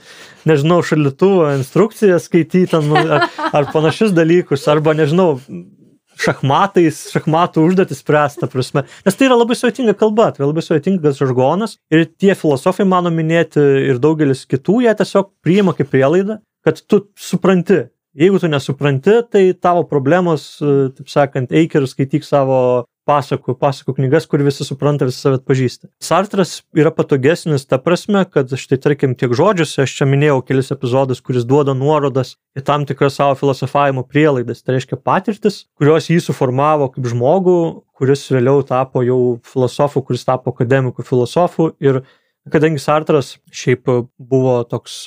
nežinau, šaldytuvą, instrukcijas skaityti ar, ar panašius dalykus, arba, nežinau, šachmatais, šachmatų užduotis spręsta prasme. Nes tai yra labai sudėtinga kalba, tai yra labai sudėtingas žargonas ir tie filosofai, mano minėti, ir daugelis kitų, jie tiesiog priima kaip prielaidą, kad tu supranti. Jeigu tu nesupranti, tai tavo problemos, taip sakant, eik ir skaityk savo pasakų, pasakų knygas, kur visi supranta, visi save atpažįsta. Sartras yra patogesnis ta prasme, kad štai tarkim tiek žodžiuose, aš čia minėjau kelis epizodus, kuris duoda nuorodas į tam tikras savo filosofavimo prielaidas, tai reiškia patirtis, kurios jį suformavo kaip žmogų, kuris vėliau tapo jau filosofu, kuris tapo akademiku filosofu. Ir kadangi Sartras šiaip buvo toks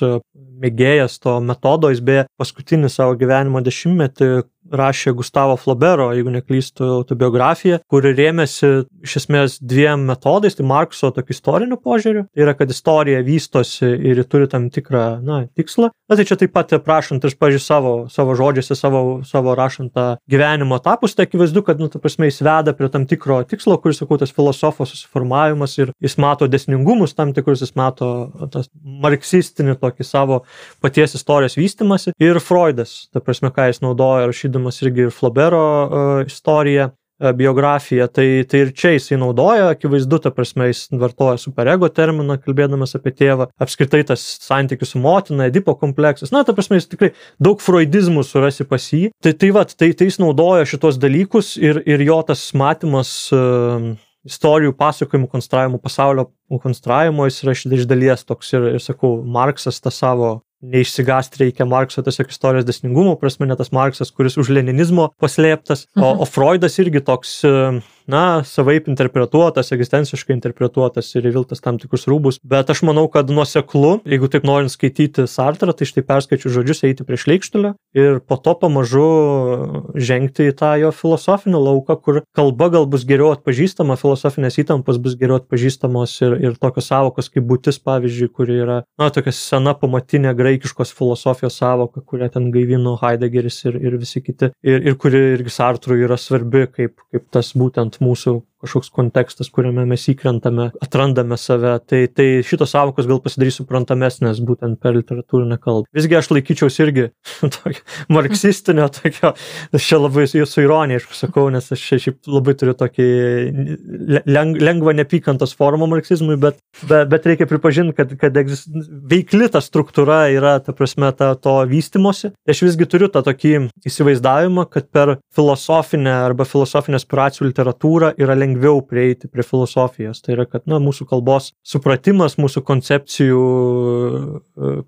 mėgėjas to metodo, jis beje paskutinį savo gyvenimo dešimtmetį rašė Gustavo Flaubero, jeigu neklystu, autobiografiją, kuri rėmėsi iš esmės dviem metodais, tai Markso tokiu istoriniu požiūriu, tai yra, kad istorija vystosi ir turi tam tikrą, na, tikslą. Na, tai čia taip pat prašant ir, pažiūrėjau, savo, savo žodžiuose, savo, savo rašant tą gyvenimo etapus, tai akivaizdu, kad, nu, ta prasme, jis veda prie tam tikro tikslo, kuris, sakau, tas filosofo susiformavimas ir jis mato dėsningumus tam tikrus, jis mato tas marksistinį tokį savo paties istorijos vystimąsi. Ir Freudas, ta prasme, ką jis naudoja rašydamas irgi ir Flaubero uh, istoriją, uh, biografiją, tai, tai ir čia jisai naudoja, akivaizdu, ta prasme, jis vartoja superego terminą, kalbėdamas apie tėvą, apskritai tas santykis su motina, Edipo kompleksas, na, ta prasme, jis tikrai daug freudizmų surasi pas jį, tai tai, vat, tai, tai jis naudoja šitos dalykus ir, ir jo tas matymas uh, istorijų pasakojimų konstravimo, pasaulio konstravimo, jis yra iš dalies toks ir, ir sakau, Marksas tą savo neišsigąsti reikia Markso tiesiog istorijos dėsningumo prasme, ne tas Marksas, kuris už leninizmo paslėptas, o, o Freudas irgi toks, na, savaip interpretuotas, egzistenciškai interpretuotas ir įviltas tam tikrus rūbus, bet aš manau, kad nuoseklu, jeigu taip norint skaityti Sartrą, tai štai perskaičiu žodžius, eiti prie šleikštulio ir po to pamažu žengti į tą jo filosofinį lauką, kur kalba gal bus geriau atpažįstama, filosofinės įtampos bus geriau atpažįstamos ir, ir tokios savokos kaip būtis, pavyzdžiui, kuri yra, na, tokia sena pamatinė graikiškos filosofijos savoka, kurią ten gaivino Heideggeris ir, ir visi kiti, ir, ir kuri irgi Sartrui yra svarbi kaip, kaip tas būtent mūsų kažkoks kontekstas, kuriame mes įkrentame, atrandame save, tai, tai šitos savokos gal pasidarys suprantamesnės būtent per literatūrinę kalbą. Visgi aš laikyčiaus irgi tokio marksistinio, tokio, aš čia labai su ironija, aišku, sakau, nes aš šiaip labai turiu tokį leng, lengvą nepykantos formą marksizmui, bet, bet, bet reikia pripažinti, kad, kad egzist, veikli ta struktūra yra, ta prasme, ta, to vystimosi. Aš visgi turiu tą tokį įsivaizdavimą, kad per filosofinę arba filosofinę aspiracijų literatūrą yra lengviau lengviau prieiti prie filosofijos. Tai yra, kad, na, mūsų kalbos supratimas, mūsų koncepcijų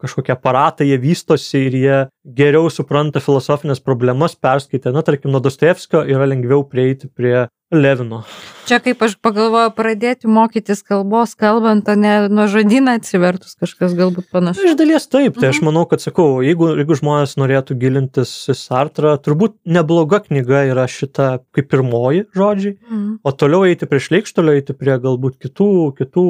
kažkokie aparatai, jie vystosi ir jie geriau supranta filosofinės problemas, perskaitę. Na, tarkim, nuo Dostojevskio yra lengviau prieiti prie Levino. Čia kaip aš pagalvoju, pradėti mokytis kalbos kalbant, o ne nuo žodyną atsivertus kažkas galbūt panašu. Iš dalies taip, tai aš manau, kad sakau, jeigu, jeigu žmonės norėtų gilintis į Sartrą, turbūt nebloga knyga yra šita kaip pirmoji žodžiai, mm. o toliau eiti prie šleikštulio, eiti prie galbūt kitų, kitų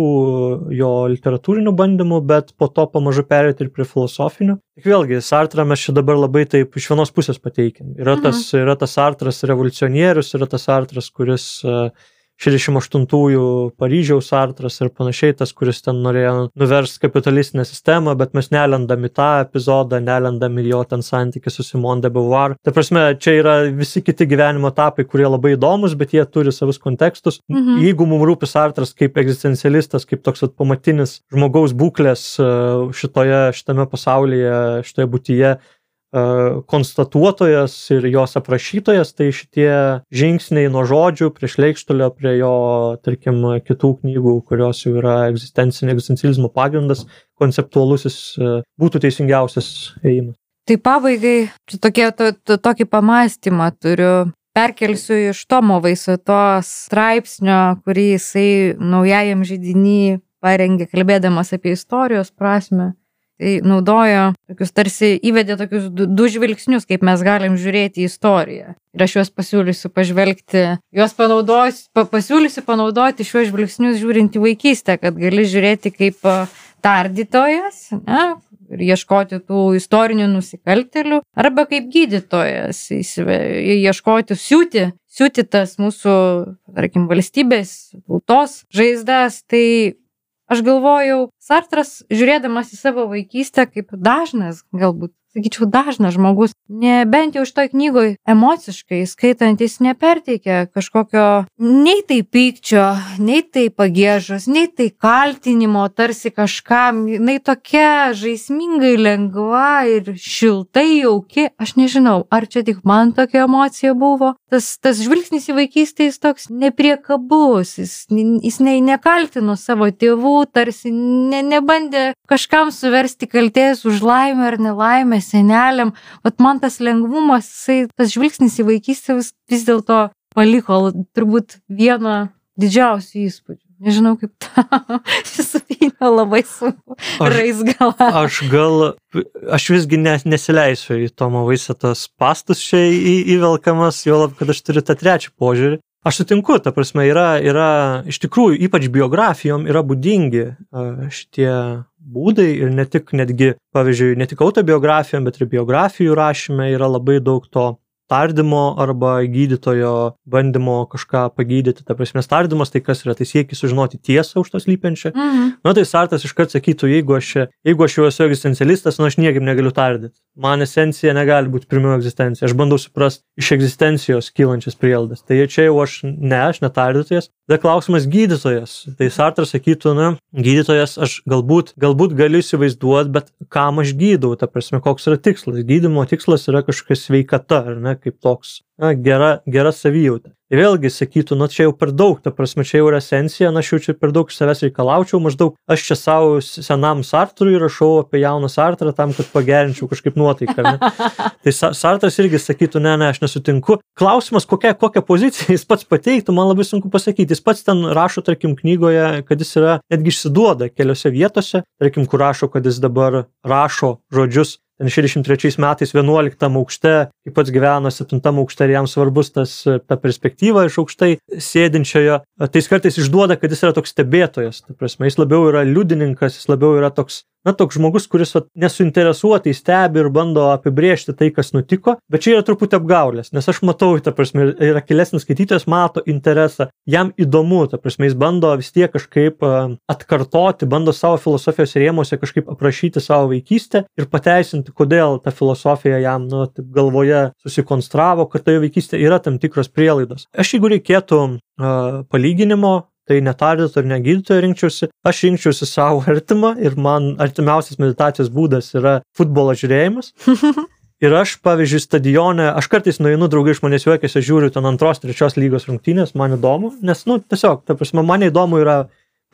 jo literatūrinių bandymų, bet po to pamažu perėti ir prie filosofinių. Tik vėlgi, Sartrą mes čia dabar labai taip iš vienos pusės pateikim. Yra tas, mm. yra tas Sartras revoliucionierius, yra tas Sartras, kuris šešiasdešimt aštuntųjų Paryžiaus Sartras ir panašiai, tas, kuris ten norėjo nuversti kapitalistinę sistemą, bet mes nelendam į tą epizodą, nelendam į jo ten santykį su Simone de Beauvoir. Ta prasme, čia yra visi kiti gyvenimo etapai, kurie labai įdomus, bet jie turi savus kontekstus. Mhm. Jeigu mums rūpi Sartras kaip egzistencialistas, kaip toks pamatinis žmogaus būklės šitoje, šitame pasaulyje, šitoje būtyje, konstatuotojas ir jos aprašytojas, tai šitie žingsniai nuo žodžių prie šleikštulio, prie jo, tarkim, kitų knygų, kurios jau yra egzistencializmo pagrindas, konceptualusis, būtų teisingiausias ėjimas. Tai pabaigai, čia tokie, to, to, tokį pamąstymą turiu. Perkelsiu iš Tomo Vaisetos straipsnio, kurį jisai naujajam židiny parengė, kalbėdamas apie istorijos prasme. Tai naudojo tokius, tarsi įvedė tokius du, du žvilgsnius, kaip mes galim žiūrėti į istoriją. Ir aš juos pasiūlysiu pažvelgti, juos panaudosiu, pa, pasiūlysiu panaudoti šiuos žvilgsnius žiūrint į vaikystę, kad gali žiūrėti kaip tardytojas, ne, ir ieškoti tų istorinių nusikaltėlių, arba kaip gydytojas, ieškoti, siūti, siūti tas mūsų, tarkim, valstybės, tautos žaizdas. Tai aš galvojau, Sartras, žiūrėdamas į savo vaikystę, kaip dažnas, galbūt, sakyčiau, dažnas žmogus, ne, bent jau šitoj knygoj emociškai skaitant, jis neperteikia kažkokio nei tai pykčio, nei tai pagiežos, nei tai kaltinimo, tarsi kažkam, jinai tokia žaismingai lengva ir šiltai jauki. Aš nežinau, ar čia tik man tokia emocija buvo. Tas, tas žvilgsnis į vaikystę jis toks nepriekabus, jis, jis ne, nekaltino savo tėvų, tarsi ne, nebandė kažkam suversti kaltės už laimę ar nelaimę seneliam. Vat man tas lengvumas, jisai, tas žvilgsnis į vaikystę vis, vis dėlto paliko turbūt vieną didžiausių įspūdžių. Nežinau, kaip tą susipynę labai sunku raizgalą. Aš gal, aš visgi ne, nesileisiu į Tomo Vaisetos pastus čia į, įvelkamas, juolab, kad aš turiu tą trečią požiūrį. Aš sutinku, ta prasme, yra, yra iš tikrųjų, ypač biografijom yra būdingi šitie būdai ir ne tik netgi, pavyzdžiui, ne tik autobiografijom, bet ir biografijų rašyme yra labai daug to tardymo arba gydytojo bandymo kažką pagydyti. Ta prasme, tardymas tai kas yra, tai siekis sužinoti tiesą už to slypiančią. Mhm. Na tai Sartas iškart sakytų, jeigu aš, jeigu aš jau esu egzistencialistas, nu aš niekaip negaliu tardyti. Man esencija negali būti pirmiau egzistencija. Aš bandau suprasti iš egzistencijos kylančias prielaidas. Tai čia jau aš, ne, aš netardytojas. Tada klausimas gydytojas. Tai Sartas sakytų, na, gydytojas aš galbūt, galbūt galiu įsivaizduoti, bet kam aš gydau, ta prasme, koks yra tikslas. Gydymo tikslas yra kažkokia sveikata, ar ne, kaip toks, na, gera, gera savijauta. Ir vėlgi sakytų, nu čia jau per daug, ta prasme, čia jau yra esencija, na aš jau čia per daug iš savęs reikalaučiau, maždaug aš čia savo senam Sartrui rašau apie jauną Sartrą tam, kad pagerinčiau kažkaip nuotaiką. Ne? Tai Sartras irgi sakytų, ne, ne, aš nesutinku. Klausimas, kokia, kokią poziciją jis pats pateiktų, man labai sunku pasakyti. Jis pats ten rašo, tarkim, knygoje, kad jis yra netgi išsiduoda keliose vietose, tarkim, kur rašo, kad jis dabar rašo žodžius ten šešiasdešimt trečiais metais vienuoliktam aukšte, kaip pats gyveno septintam aukšte ir jam svarbus tas, ta perspektyva iš aukštai sėdinčiojo, tai jis kartais išduoda, kad jis yra toks stebėtojas, ta prasme, jis labiau yra liudininkas, jis labiau yra toks, na, toks žmogus, kuris vat, nesuinteresuotai stebi ir bando apibrėžti tai, kas nutiko, bet čia yra truputį apgaulės, nes aš matau, ta prasme, yra gilesnis skaitytojas, mato interesą, jam įdomu, ta prasme, jis bando vis tiek kažkaip atkartoti, bando savo filosofijos rėmuose kažkaip aprašyti savo vaikystę ir pateisinti, kodėl ta filosofija jam, nu, taip galvoje susikonstravo, kad toje vaikystėje yra tam tikros prielaidos. Aš, jeigu reikėtų uh, palyginimo, tai netardyto ir negydytojo rinkčiausi, aš rinkčiausi savo artimą ir man artimiausias meditacijos būdas yra futbolo žiūrėjimas. Ir aš, pavyzdžiui, stadione, aš kartais nueinu, draugai iš manęs juokiasi, aš žiūriu ten antros, trečios lygos rungtynės, man įdomu, nes, nu, tiesiog, ta prasme, man įdomu yra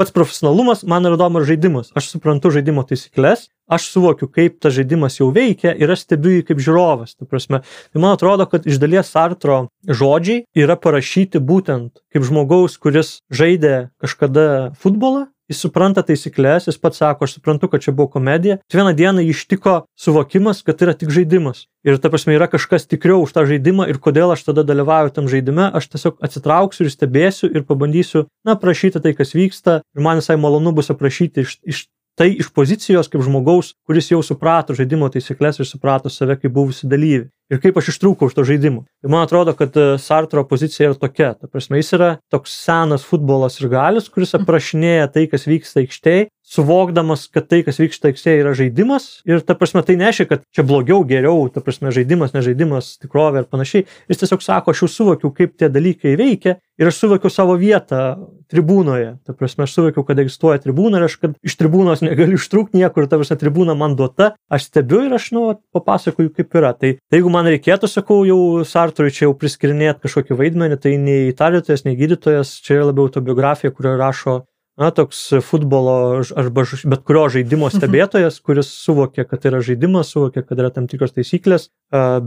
pats profesionalumas, man yra įdomu ir žaidimas. Aš suprantu žaidimo taisyklės, aš suvokiu, kaip tas žaidimas jau veikia ir aš stebiu jį kaip žiūrovas. Ta prasme, tai man atrodo, kad iš dalies Sartro žodžiai yra parašyti būtent kaip žmogaus, kuris žaidė kažkada futbolą, jis supranta taisyklės, jis pats sako, aš suprantu, kad čia buvo komedija. Vieną dieną jį ištiko suvokimas, kad tai yra tik žaidimas. Ir ta prasme yra kažkas tikriau už tą žaidimą ir kodėl aš tada dalyvauju tam žaidime, aš tiesiog atsitrauksiu ir stebėsiu ir pabandysiu, na, aprašyti tai, kas vyksta. Ir man visai malonu bus aprašyti iš, iš tai iš pozicijos kaip žmogaus, kuris jau suprato žaidimo taisyklės ir suprato save kaip buvusi dalyvį. Ir kaip aš ištrūkau iš to žaidimo. Ir man atrodo, kad Sartro pozicija yra tokia. Ta prasme, jis yra toks senas futbolas ir galis, kuris aprašinėja tai, kas vyksta aikštėje, suvokdamas, kad tai, kas vyksta aikštėje, yra žaidimas. Ir ta prasme, tai nereiškia, kad čia blogiau, geriau, ta prasme, žaidimas, nežaidimas, tikrovė ir panašiai. Jis tiesiog sako, aš jau suvokiau, kaip tie dalykai veikia ir aš suvokiau savo vietą tribūnoje. Ta prasme, aš suvokiau, kad egzistuoja tribūna ir aš, kad iš tribūnos negaliu ištrūkti niekur, ta prasme, tribūna man duota, aš stebiu ir aš, nu, papasakoju, kaip yra. Tai, tai jeigu man reikėtų, sakau, jau Sartrui čia jau priskirinėti kažkokį vaidmenį, tai nei tardytojas, nei gydytojas, čia yra labiau autobiografija, kurioje rašo, na, toks futbolo arba bet kurio žaidimo stebėtojas, kuris suvokia, kad tai yra žaidimas, suvokia, kad yra tam tikros taisyklės,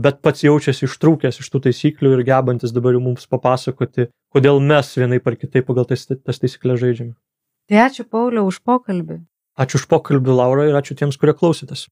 bet pats jaučiasi ištrūkęs iš tų taisyklių ir gebantis dabar jau mums papasakoti, kodėl mes vienai par kitaip pagal tas, tas taisyklės žaidžiame. Tai ačiū, Pauliau, už pokalbį. Ačiū už pokalbį, Laura, ir ačiū tiems, kurie klausytės.